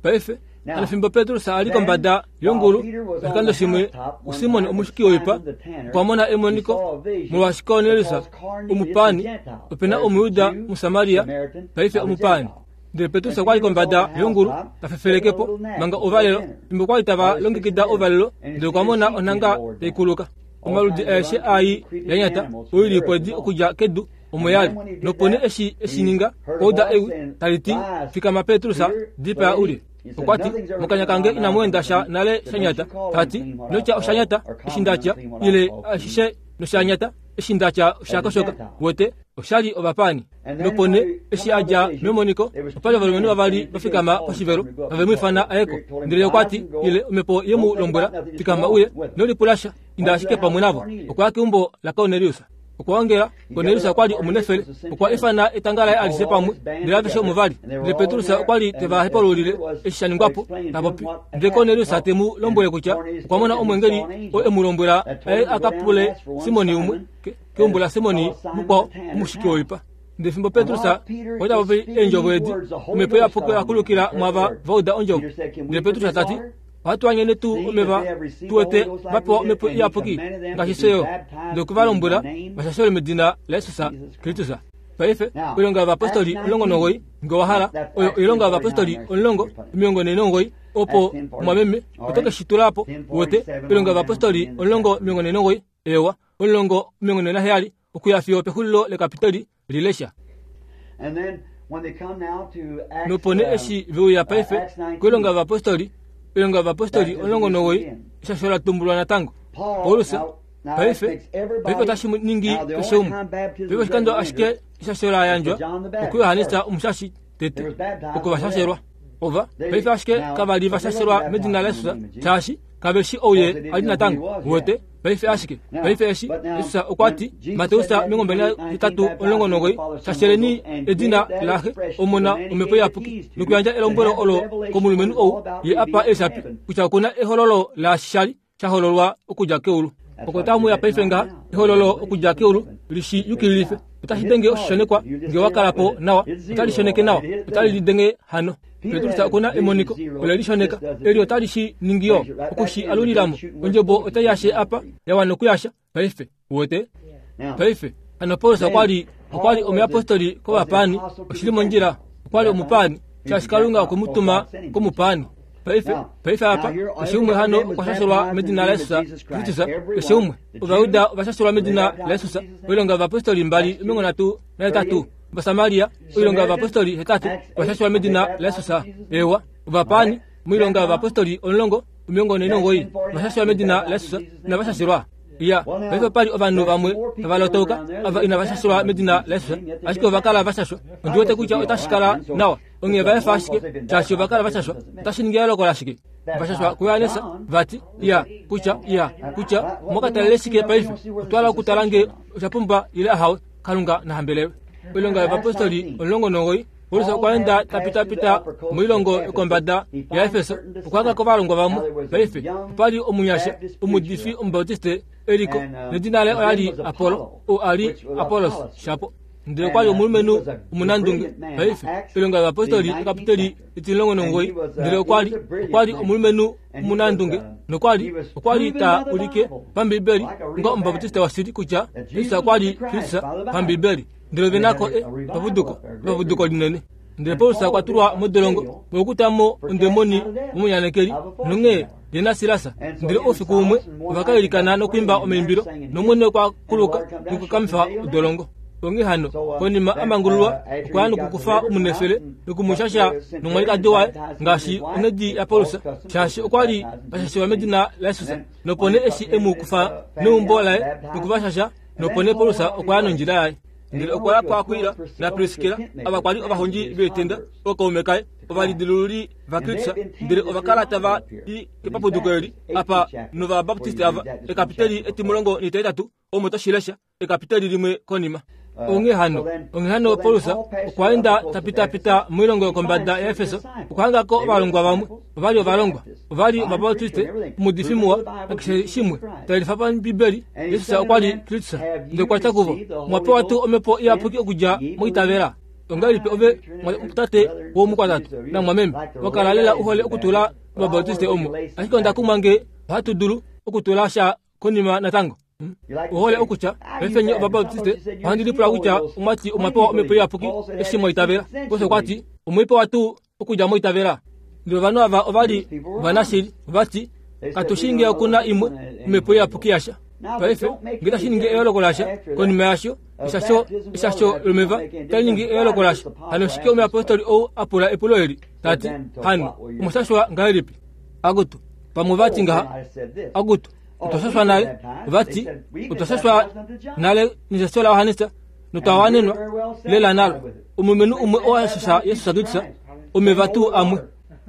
Paife hano fimbo Petrus ali kombada yongulu oshikando shimwe uSimon omushiki woipa okwa mona emoniko molwaashi Kornelius omupani opena Omuyuda muSamaria paife omupani. Ndele Petrus okwali kombada yongulu tafefelekepo manga ovalelo fimbo kwali tava longekida ovalelo. Ndele okwa mona onhanga taikuluka omaludi aeshe ai yanyata oilipwedi okudja kedu omo yali. Nopone eshi eshininga kouda ewi taliti fikama Petrus dipaa ulye. Okwati mokanya kange inamu enda sha nale shanyata. Tati notya oshanyata eshi ndatya ile ashishe noshanyata eshi ndatya oshakoshoka wote oshali ovapani. Nopone eshi adja memoniko opali ovalumenhu vavali vafikama poshivelo vave mu ifana ayeko. Ndele okwati ile omhepo yemu lombwela fikama uye nolipulasha inda ashike pamwe navo. Okwaya keumbo laKornelius. Okwa ongela Kornelius okwali omunefele okwa ifana etanga laye alishe pamwe ndele aveshe omo vali. Ndele Petrus okwali teva hepaululile eshi sha ningwapo tapopi. Ndele Kornelius temu lombwele kutya okwa mona omwengeli oo emu lombwela aye akapule Simoni umwe keumbo la Simoni mukwao omushiki woipa. Ndele fimbo Petrus okwa tapopi eendjovo edi omhepo iyapuki oyakulukila mwava vauda ondjovo. Ndele Petrus tati ohatu anyene tuu omeva tuwete vapewa omhepo iyapuki ngaashi fye. Ndele okwe va lombwela vashashelwe medina laJesus Kristus. Paife oilonga yovapostoli omulongo nomugoyi nge owa hala oyo oilonga yovapostoli omulongo omilongo nhee nomugoyi opo mwameme oto ke shi tula po wote oilonga yovapostoli omulongo omilongo nhee nomugoyi ewa omulongo omilongo nhee naheyali okuya fiyo pexulilo lekapitoli lilesha. Nopone eshi veuya paife koilonga yovapostoli oilonga yovapostoli omulongo nomugoyi eshasho la tumbulwa natango. Paulus paife paife otashi ningi keshe umwe. Paife oshikando ashike eshasho la yandjwa okuJohannes omushashi tete oko vashashelwa ova paife ashike kavali vashashelwa medina laJesus shaashi kaveshi ouye ali natango wote paife ashike paife eshi Jesus okwa ti Mateus omilongo mbali nahetatu omulongo nomugoyi shasheleni edina laxe omona omhepo iyapuki nokuyandja elombwelo olo komulumenhu ou ye apa eeshapi kutya okuna ehololo laashi shali shahololwa okudja keulu. Oko tamuya paife ngaha ehololo okudja keulu lishi yukililife. Otashi denge oshishonekwa nge wakalapo nawa otali shoneke nawa otali lidenge hano. Petrus okuna emoniko ole lishoneka eli otali shi ningiyo okushi alulilamo ondjobo otai yashe apa yawana okuyasha paife wote paife hano Paulus okwali Okwa li omuyapostoli kovapani, oshili mondjila. Okwa li omupani, shaashi Kalunga okwe mu tuma komupani. Paife, paife apa, keshe umwe hano okwa shashelwa medina laJesus Kristus. Keshe umwe. Ovayuda ova shashelwa medina laJesus. Oilonga yovapostoli mbali omilongo nhatu nahetatu. Ovasamaria, oilonga yovapostoli hetatu ova shashelwa medina laJesus. Ewa, ovapani, moilonga yovapostoli omulongo omilongo nhee nomugoyi ova shashelwa medina laJesus. Inava shashelwa. Ya, paife opa li ovanhu vamwe tava lotauka ava inava shashelwa medina laJesus, ashike ova kala va shashwa. Ondi wete kutya otashi kala nawa. Onghee va efa ashike, shaashi ova kala va shashwa. Otashi ningi eyooloko lashike? Va shashwa kuJohannes, vati, ya, kutya, ya, kutya, mokatalele shike paife? Otwa okutala nge osha pumba ile ahawe. Kalunga nahambelewe. Oilonga yovapostoli omulongo nomugoyi, Paulus okwa enda tapitapita moilongo yokombada yaEfeso, okwa hanga kovalongwa vamwe. Paife opa li omunyasha omuudifi Omubautiste eliko, nedina laye ola li Apollo, ou a li Apollos shapo. Ndele okwa li omulumenhu omunandunge. Paife oilonga yovapostoli ekapiteli etimulongo nomugoyi, ndele okwa li okwa li omulumenhu omunandunge, nokwa li okwa li ta ulike pambibeli onga Omubautiste washili kutya Jesus okwa li Kristus pambibeli. Ndele ove nako e papuduko, papuduko linene. Ndele Paulus okwa tulwa modolongo mokutamo ondemoni momunyanekeli nonghee ye naSilas. Ndele oufiku umwe ova ka ilikana nokuimba omaimbilo, nOmwene okwa kuluka nokukamifa odolongo. Onghee hano konima a mangululwa okwa ya nokukufa omunefele nokumushasha nomwalikadi waye ngaashi onghedi yaPaulus, shaashi okwa li va shashelwa medina laJesus. Nopo nee eshi e mu kufa neumbo laye nokuvashasha, nopo nee Paulus okwa ya nondjila yaye. Ndele okwa ya kuAkwila naPriskila, ava kwa li ovahondji veetenda, ookaume kaye, ovalidilululi vaKristus. Ndele ova kala tava i kepapuduko eli apa novabaptiste ava, ekapiteli etimulongo netihetatu, omo toshi lesha, ekapiteli limwe konima. Onghee hano, onghee hano Paulus okwa enda tapitapita moilongo yokombada yaEfeso, okwa hangako ovalongwa vamwe. Ova li ovalongwa, ova li ovabaptiste, omuudifi muwa, nakeshe shimwe tayelifa pambibeli Jesus okwa li Kristus. Ndele okwa tya kuvo, mwa pewa tuu omhepo iyapuki okudja moitavela? Ongahelipi ove tate womukwatatu namwameme wakala lela uhole okutula ovabautiste omo, ashike onda kumwa nge ohatu dulu okutula sha konima natango. Ohole okutya paife nye ovabautiste ohandi lipula kutya omwati omwa pewa omhepo iyapuki eshi mwaitavela. Paulus okwa ti omwa pewa tuu okudja moitavela? Ndele ovanhu ava ova li ovanashili, vati katu shi nge okuna imwe omhepo iyapuki yasha. Paife nge tashi ningi eyooloko lasha konima yasho, eshasho eshasho lomeva tali ningi eyooloko lasha. Hano shike omuyapostoli ou a pula epulo eli tati, hano omwashashwa ngahelipi? Akutu pamwe vati ngaha, akutu otwa shashwa nale, vati otwa shashwa nale neshasho laJohannes notwa wanenwa lela nalo. Omulumenhu umwe oo a shasha Jesus Kristus omeva tuu amwe.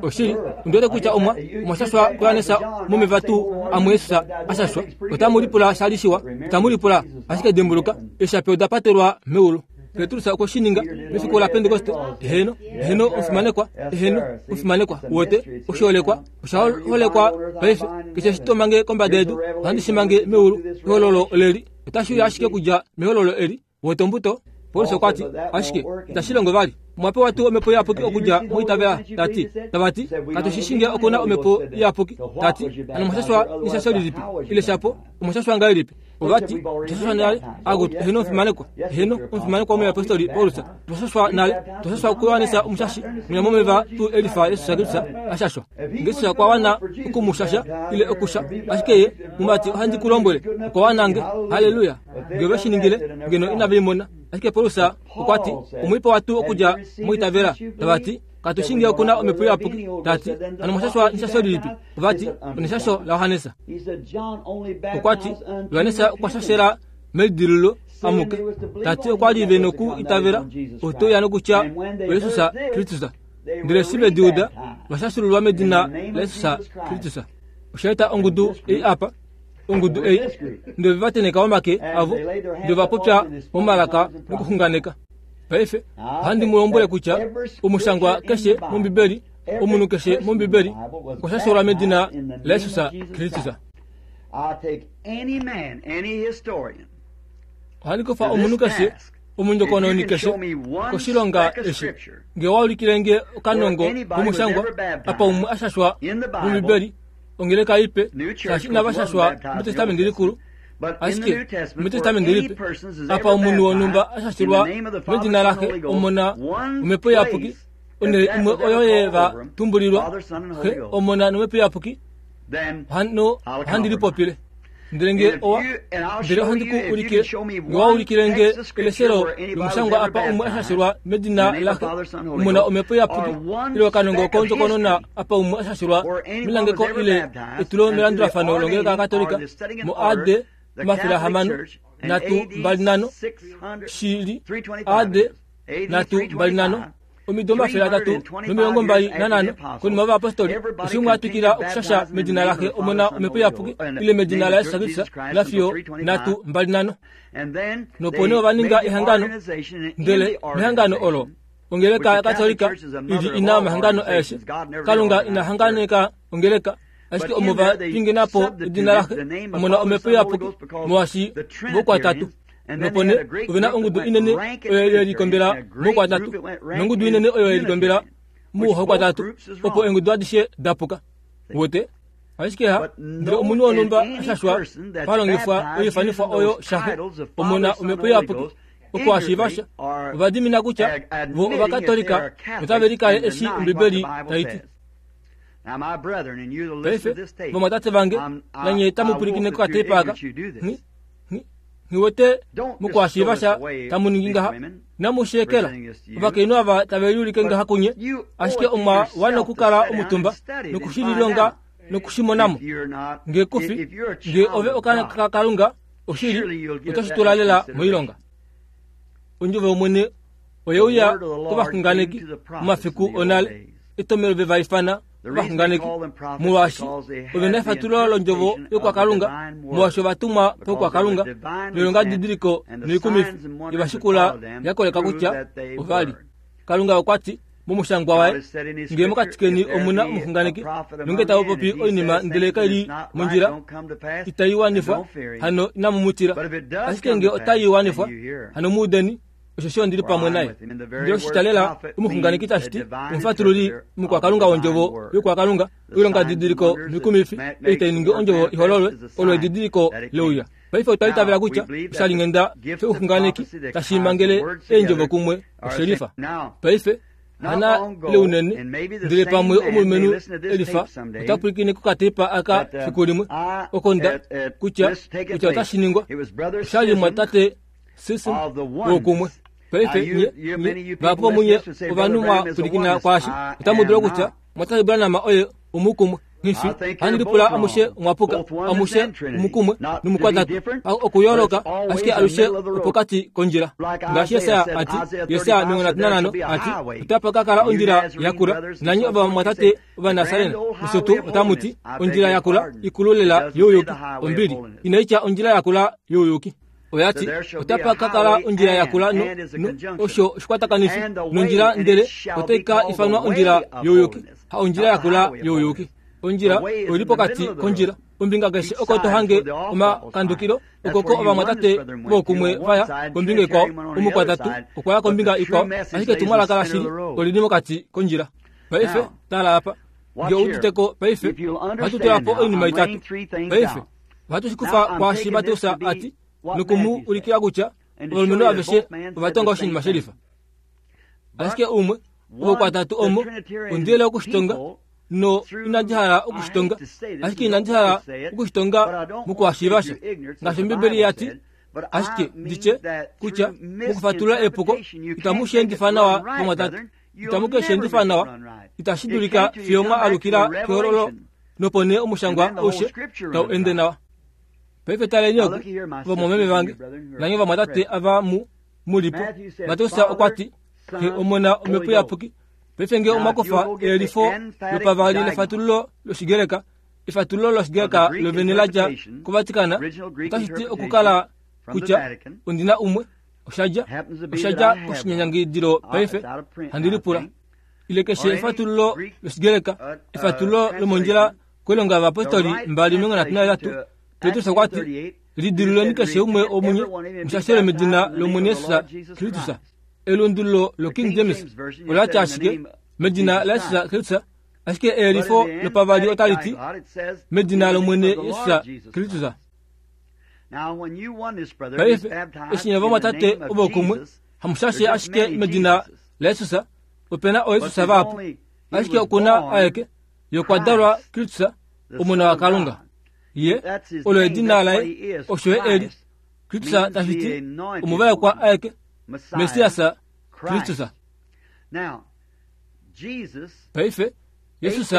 Oshili, ondiwete kutya omwa omwashashwa kuJohannes momeva tuu amwe Jesus a shashwa. Otamu lipula sha li shiwa, otamu lipula, ashike dimbuluka, eeshapi oda patelwa meulu. Petrus okwe shi ninga mefiku laPentekoste. Eheno, eheno omufimanekwa, eheno omufimanekwa, wote oshiholekwa, osha holekwa paife. Keshe eshi to mange kombada yedu, ohandi shi mange meulu. Ehololo oleli, otashi uya ashike okudja mehololo eli. Wote ombuto. Paulus okwa ti, ashike itashi longo vali. Omwa pewa tuu omhepo iyapuki okudja moitavela? Tati, tavati, katu shi shi nge okuna omhepo iyapuki. Tati, hano omwashashwa neshasho lilipi? Ile shapo, omwashashwa ngahelipi? Ovati, otwa shashwa nale. Akutu, eheno omufimanekwa, eheno omufimanekwa omuyapostoli Paulus, otwa shashwa nale, otwa shashwa kuJohannes omushashi, mwinya momeva tuu elifa Jesus Kristus a shashwa. Nge Jesus okwa wana okumushasha ile okusha, ashike ye mumati ohandi ku lombwele, okwa wana nge. Haleluya! Nge ve shi ningile, ngeno inave i mona. Ashike Paulus okwa ti, omwa pewa tuu okudja moitavela? Tavati, katu shi nge okuna omhepo iyapuki. Tati, hano omwashashwa neshasho lilipi? Ovati, oneshasho laJohannes. Okwa ti, Johannes okwa shashela melidilululo amuke. Tati okwa li ve noku itavela oto ya nokutya oJesus Kristus. Ndele eshi ve di uda, va shashululwa medina laJesus Kristus. Osha eta ongudu ei apa, ongudu ei, ndele va teneka omake avo, ndele va popya momalaka nokuxunganeka. Paife ohandi mu lombwele kutya omushangwa keshe mOmbibeli, omunhu keshe mOmbibeli okwa shashelwa medina laJesus Kristus. Ohandi kufa omunhu keshe, omundjokononi keshe, koshilonga eshi. Nge wa ulikile nge okanongo komushangwa apa umwe a shashwa mOmbibeli, ongeleka ipe, shaashi inava shashwa mEtestamenti Likulu, Ashike mutestamente lipe apa omunhu wonhumba ashashilwa medina laxe Omona Omhepo Iyapuki onhele imwe oyo ye va tumbulilwa Xe Omona nOmhepo Iyapuki hano ohandi lipopile. Ndele nge owa ndele ohandi ku ulikile nge wa ulikile nge eleshelo lomushangwa apa umwe ashashilwa medina laxe Omona Omhepo Iyapuki ile okanongo kondjokonona apa umwe ashashilwa melangeko ile etulo melandulafano longeleka yakatolika mo A D omafele ahamano nhatu mbali nhano shili A D nhatu mbali nhano omido omafele atatu nomilongo mbali nanhano konima yovayapostoli eshi umwe atwikila okushasha medina laxe Omona Omhepo Iyapuki ile medina laJesus Kristus lafiyo nhatu mbali nhano. Nopo nee ova ninga ehangano, ndele mehangano olo ongeleka yakatolika ili ina omahangano aeshe. Kalunga ina hanganeka ongeleka, ashike omo va pingenapo edina laxe Omona Omhepo Iyapuki molwaashi vokwatatu. Nopo nee ovena ongudu inene oyo ye likombela moukwatatu nongudu inene oyo ye likombela mouhakwatatu, opo eengudu adishe dapuka. Wote ashike ha ndele omunhu wonhumba ashashwa palongifwa oifanifwa oyo shaxe Omona Omhepo Iyapuki oko ashiivasha ova dimina kutya vo ovakatolika notave likale eshi Ombibeli tai ti. Paife vamwatate vange nanye tamu pwilikine kokatepa aka, nghiwete mokuhashiivasha tamu ningi ngaha namushekela ovakainhu ava tave liulike ngaha kunye, ashike omwa wana okukala omutumba nokushililonga nokushimonamo. Nge kufi nge ove okaana kaKalunga oshili otoshi tula lela moilonga. Ondjovo yOmwene oye uya kovaxunganeki momafiku onale, etomelo ve va ifana ovaxunganeki molwaashi ove na efatululo londjovo yokwakalunga, molwaashi ovatumwa pokwakalunga noilonga didiliko noikumifi yevashikula ya koleka kutya ovali. Kalunga okwa ti momushangwa waye, nge mokati keni omuna omuxunganeki nonge tava popi oinima ndele kaili mondjila itai wanifwa, hano inamu mu tila. Ashike nge otai wanifwa, hano mu udeni, osheshi ondili pamwe naye. Ndele oshitalela omuxunganeki tashi ti omufatululi mukwakalunga wondjovo yokwakalunga, oilonga didiliko noikumifi ei tai ningi ondjovo ihololwe, olo edidiliko leuya. Paife otwa itavela kutya oshalinghenda shouxunganeki tashi mangele eendjovo kumwe oshelifa. Paife hana leunene, ndele pamwe omulumenhu elifa ota pwilikine kokatepa aka fiku limwe oko nda kutya kutya otashi ningwa. Oshali mwatate Sism wokumwe. Paife nye nye vahapu vomunye ovanhu mwa pwilikina kwaashi otamu dulu kutya mwatate Branham oye omukumwe. Nghifi handi lipula amushe mwapuka, amushe omukumwe nomukwatatu okuyooloka, ashike alushe opokati kondjila. Ngaashi Yesaya ati, Yesaya omilongo nhatu nanhano ati, otapa ka kala ondjila yakula, nanye ovamwatate Ovanasarena nosho tuu otamu ti ondjila yakula ikulu lela youyuki. Ombili inaitya ondjila yakula youyuki. Oya ti otapa ka kala ondjila yakula no, no osho oshikwatakanifi nondjila, ndele otai ka ifanwa ondjila youyuki, ha ondjila yakula youyuki. Ondjila oili pokati kondjila, ombinga keshe oko to hange omakandukilo, okoko ovamwatate vokumwe vaya kombinga ikwao, omukwatatu okwa ya kombinga ikwao, ashike etumwalaka lashili olili mokati kondjila. Paife tala apa, nge outiteko paife ohatu tula po oinima itatu. Paife ohatu shikufa kwaashi Mateus ati nokumu ulikila kutya ovalumenhu aveshe ova tonga oshinima shelifa. Ashike umwe vokwatatu omo ondiyele okushitonga no inandi hala okushitonga, ashike inandi hala okushitonga mokuhashiivasha ngaashi Ombibeli ya ti, ashike nditye kutya mokufatulula epuko itamu shi endifa nawa vamwatate, itamu ke shi endifa nawa, itashi dulika fiyo mwa alukila kehololo nopo nee omushangwa aushe tau ende nawa. Paife taleni oku vamwameme vange nanye vamwatate ava mu mulipo. Mateus okwa ti Xe Omona Omhepo Iyapuki. Paife nge omwa kufa eyelifo lopavali lefatululo lOshigreka, efatululo lOshigreka lovene la dja koVatikana, otashi ti okukala kutya ondina umwe oshadja oshadja koshinyanyangidilo. Paife handi lipula ile keshe efatululo lOshigreka, efatululo lomondjila koilonga yovayapostoli mbali omilongo nhatu nahetatu, Petrus okwa ti lidiluleni keshe umwe womunye mushashelwe medina lOmwene Jesus Kristus. Elundululo loKing James ola tya ashike medina laJesus Kristus, ashike eyelifo lopavali otali ti medina lOmwene Jesus Kristus. Paife eshi nye vamwatate ovokumwe hamushashe ashike medina laJesus, opena ooJesus vahapu, ashike okuna aeke yokwadalwa Kristus, Omona waKalunga. Ye olo edina laye, osho ye eli Kristus tashi ti omuvaekwa aeke, Messias Kristus. Paife Jesus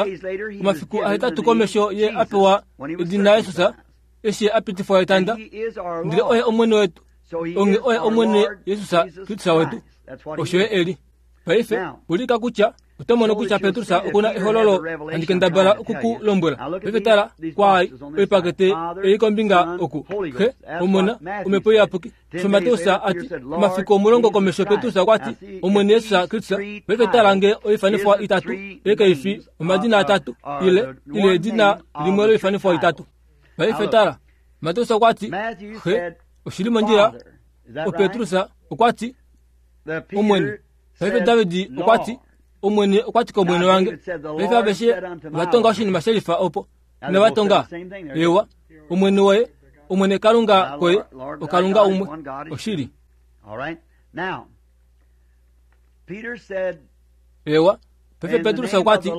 omafiku ahetatu komesho ye apewa edina Jesus eshi apitifwa etanda, ndele oye Omwene wetu, onge oye Omwene Jesus Kristus wetu, osho ye eli. Paife ulika kutya oto mono kutya Petrus okuna ehololo handi kendabala okukulombwela. Paife tala kwaai oipakete ei kombinga oku Xe, Omona, Omhepo Iyapuki. Osho Mateus ati omafiku omulongo komesho Petrus okwati Omwene Jesus Kristus. Paife tala nge oifanifwa itatu ei kaifi omadina atatu ile ile edina limwe loifanifwa itatu. Paife tala Mateus okwati Xe oshili mondjila, oPetrus okwati Omwene. Paife David okwati Omwene okwati kOmwene wange. Paife aveshe ovatonga oshinima shelifa opo inavatonga ewa Omwene woye, Omwene Kalunga koye, oKalunga umwe oshili. Ewa paife Petrus okwati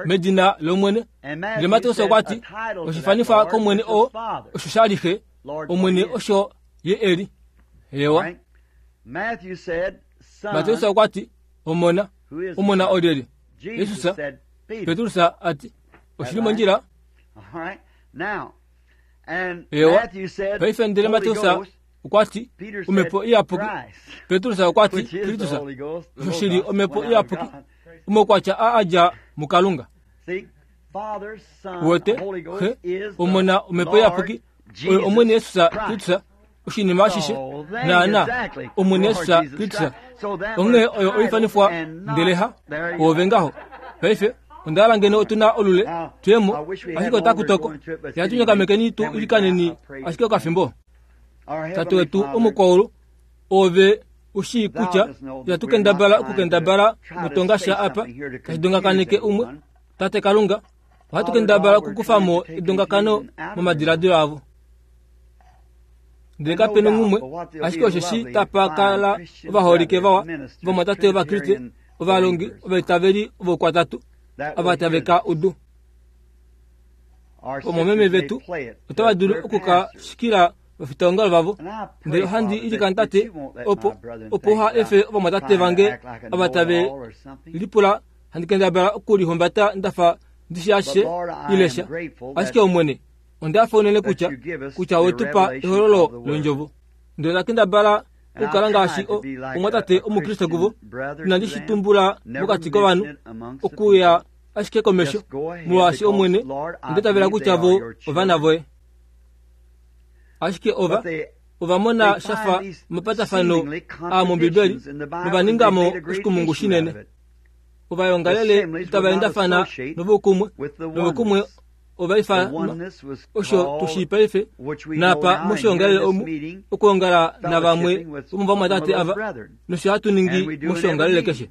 medina lOmwene, ndele Mateus okwati oshifanifwa kOmwene oo osho shali Xe, Omwene osho ye eli. Ewa Mateus okwati Omona, Omona olyelye? Jesus. Petrus ati oshili mondjila. Ewa paife ndele Mateus okwati Omhepo Iyapuki, Petrus okwati Kristus, osho shili Omhepo Iyapuki, omaukwatya a adja muKalunga. Uwete Xe, Omona, Omhepo Iyapuki oyo Omwene Jesus Kristus, oshinima ashishe naana Omwene Jesus Kristus. Onghee oyo oifanifwa ndele ha ove ngaho. Paife onda hala ngeno otuna olule twemo, ashike otaku toko. Yatu nyakamekeni tu ilikaneni ashike okafimbo. Tate wetu omukwaulu, ove ushii kutya itatu kendabala okukendabala mutonga sha apa tashi dongakaneke umwe. Tate Kalunga, ohatu kendabala okukufamo edongakano momadiladilo avo. Ndele kapena umwe, ashike osheshi tapa kala ovaholike vawa vamwatate Ovakriste, ovalongi, ovaitaveli vokwatatu ava tave ka udu. Omomeme vetu otava dulu okuka shikila vafitaongalo vavo. Ndele ohandi ilikana Tate opo opo ha efe ovamwatate vange ava tave lipula handi kendabala okulihumbata ndafa ndishi ashishe ilesha. Ashike Omwene, onda fa unene kutya kutya wetupa ehololo londjovo. Ndele ndakendabala okukala ngaashi omwatate Omukriste kuvo, inandi shi tumbula mokati kovanhu okuya ashike komesho, molwaashi Omwene ondetavela kutya vo ovana voye. Ashike ova ova mona shafa omapatafano a mOmbibeli novaningamo oshikumungu shinene. Ovayongalele itavaendafana novokumwe, novokumwe ovaifanwa osho tushii paife napa moshiongalele omu okuongala navamwe vomovamwatate ava nosho hatu ningi moshiongalele keshe.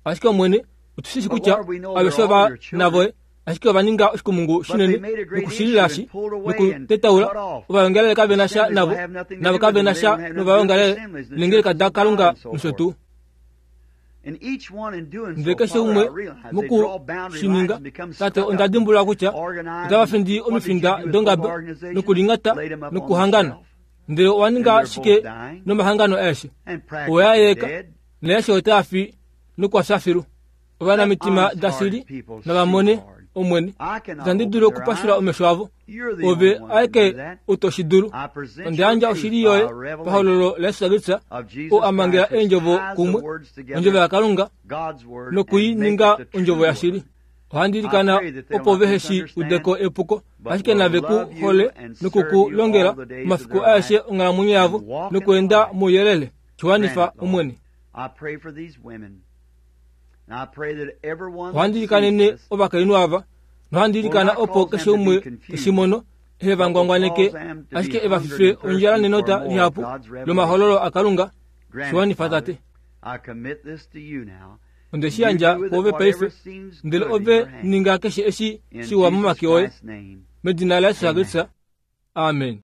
Ashike Omwene otushishi kutya aveshe ova navoye, ashike ova ninga oshikumungu shinene nokushililashi nokutetaula. Ovayongalele kavena sha navo, navo kavena sha novayongalele nengeleka daKalunga nosho tuu. Ndele keshe umwe mokushininga, Tate, onda dimbulula kutya otava findi omifinda dongabe nokulingata nokuhangana. Ndele owa ninga shike nomahangano aeshe? Oya yeka naeshe otaa fi nokwafya filu. Ovanamitima dasili navamone Omwene, itandi dulu okupashula omesho avo. Ove aeke utoshi dulu. Onda yandja oshili yoye pahololo laJesus Kristus, oo amangela eendjovo kumwe, ondjovo yaKalunga, nokuininga ondjovo yashili. Ohandi ilikana opo vehe shi udeko epuko, ashike nave ku hole nokukulongela omafiku aeshe onghalamwenyo yavo nokuenda mouyelele. Shiwanifa Omwene. Ohandi ilikanene ovakainhu ava, nohandi ilikana opo keshe umwe teshi mono ehe va ngwangwaneke, ashike eva fife ondjala nenota lihapu lomahololo aKalunga. Shiwanifa Tate. Onde shi yandja kwoove paife, ndele ove ninga keshe eshi shiwa momake oye. Medina laJesus Kristus, amen.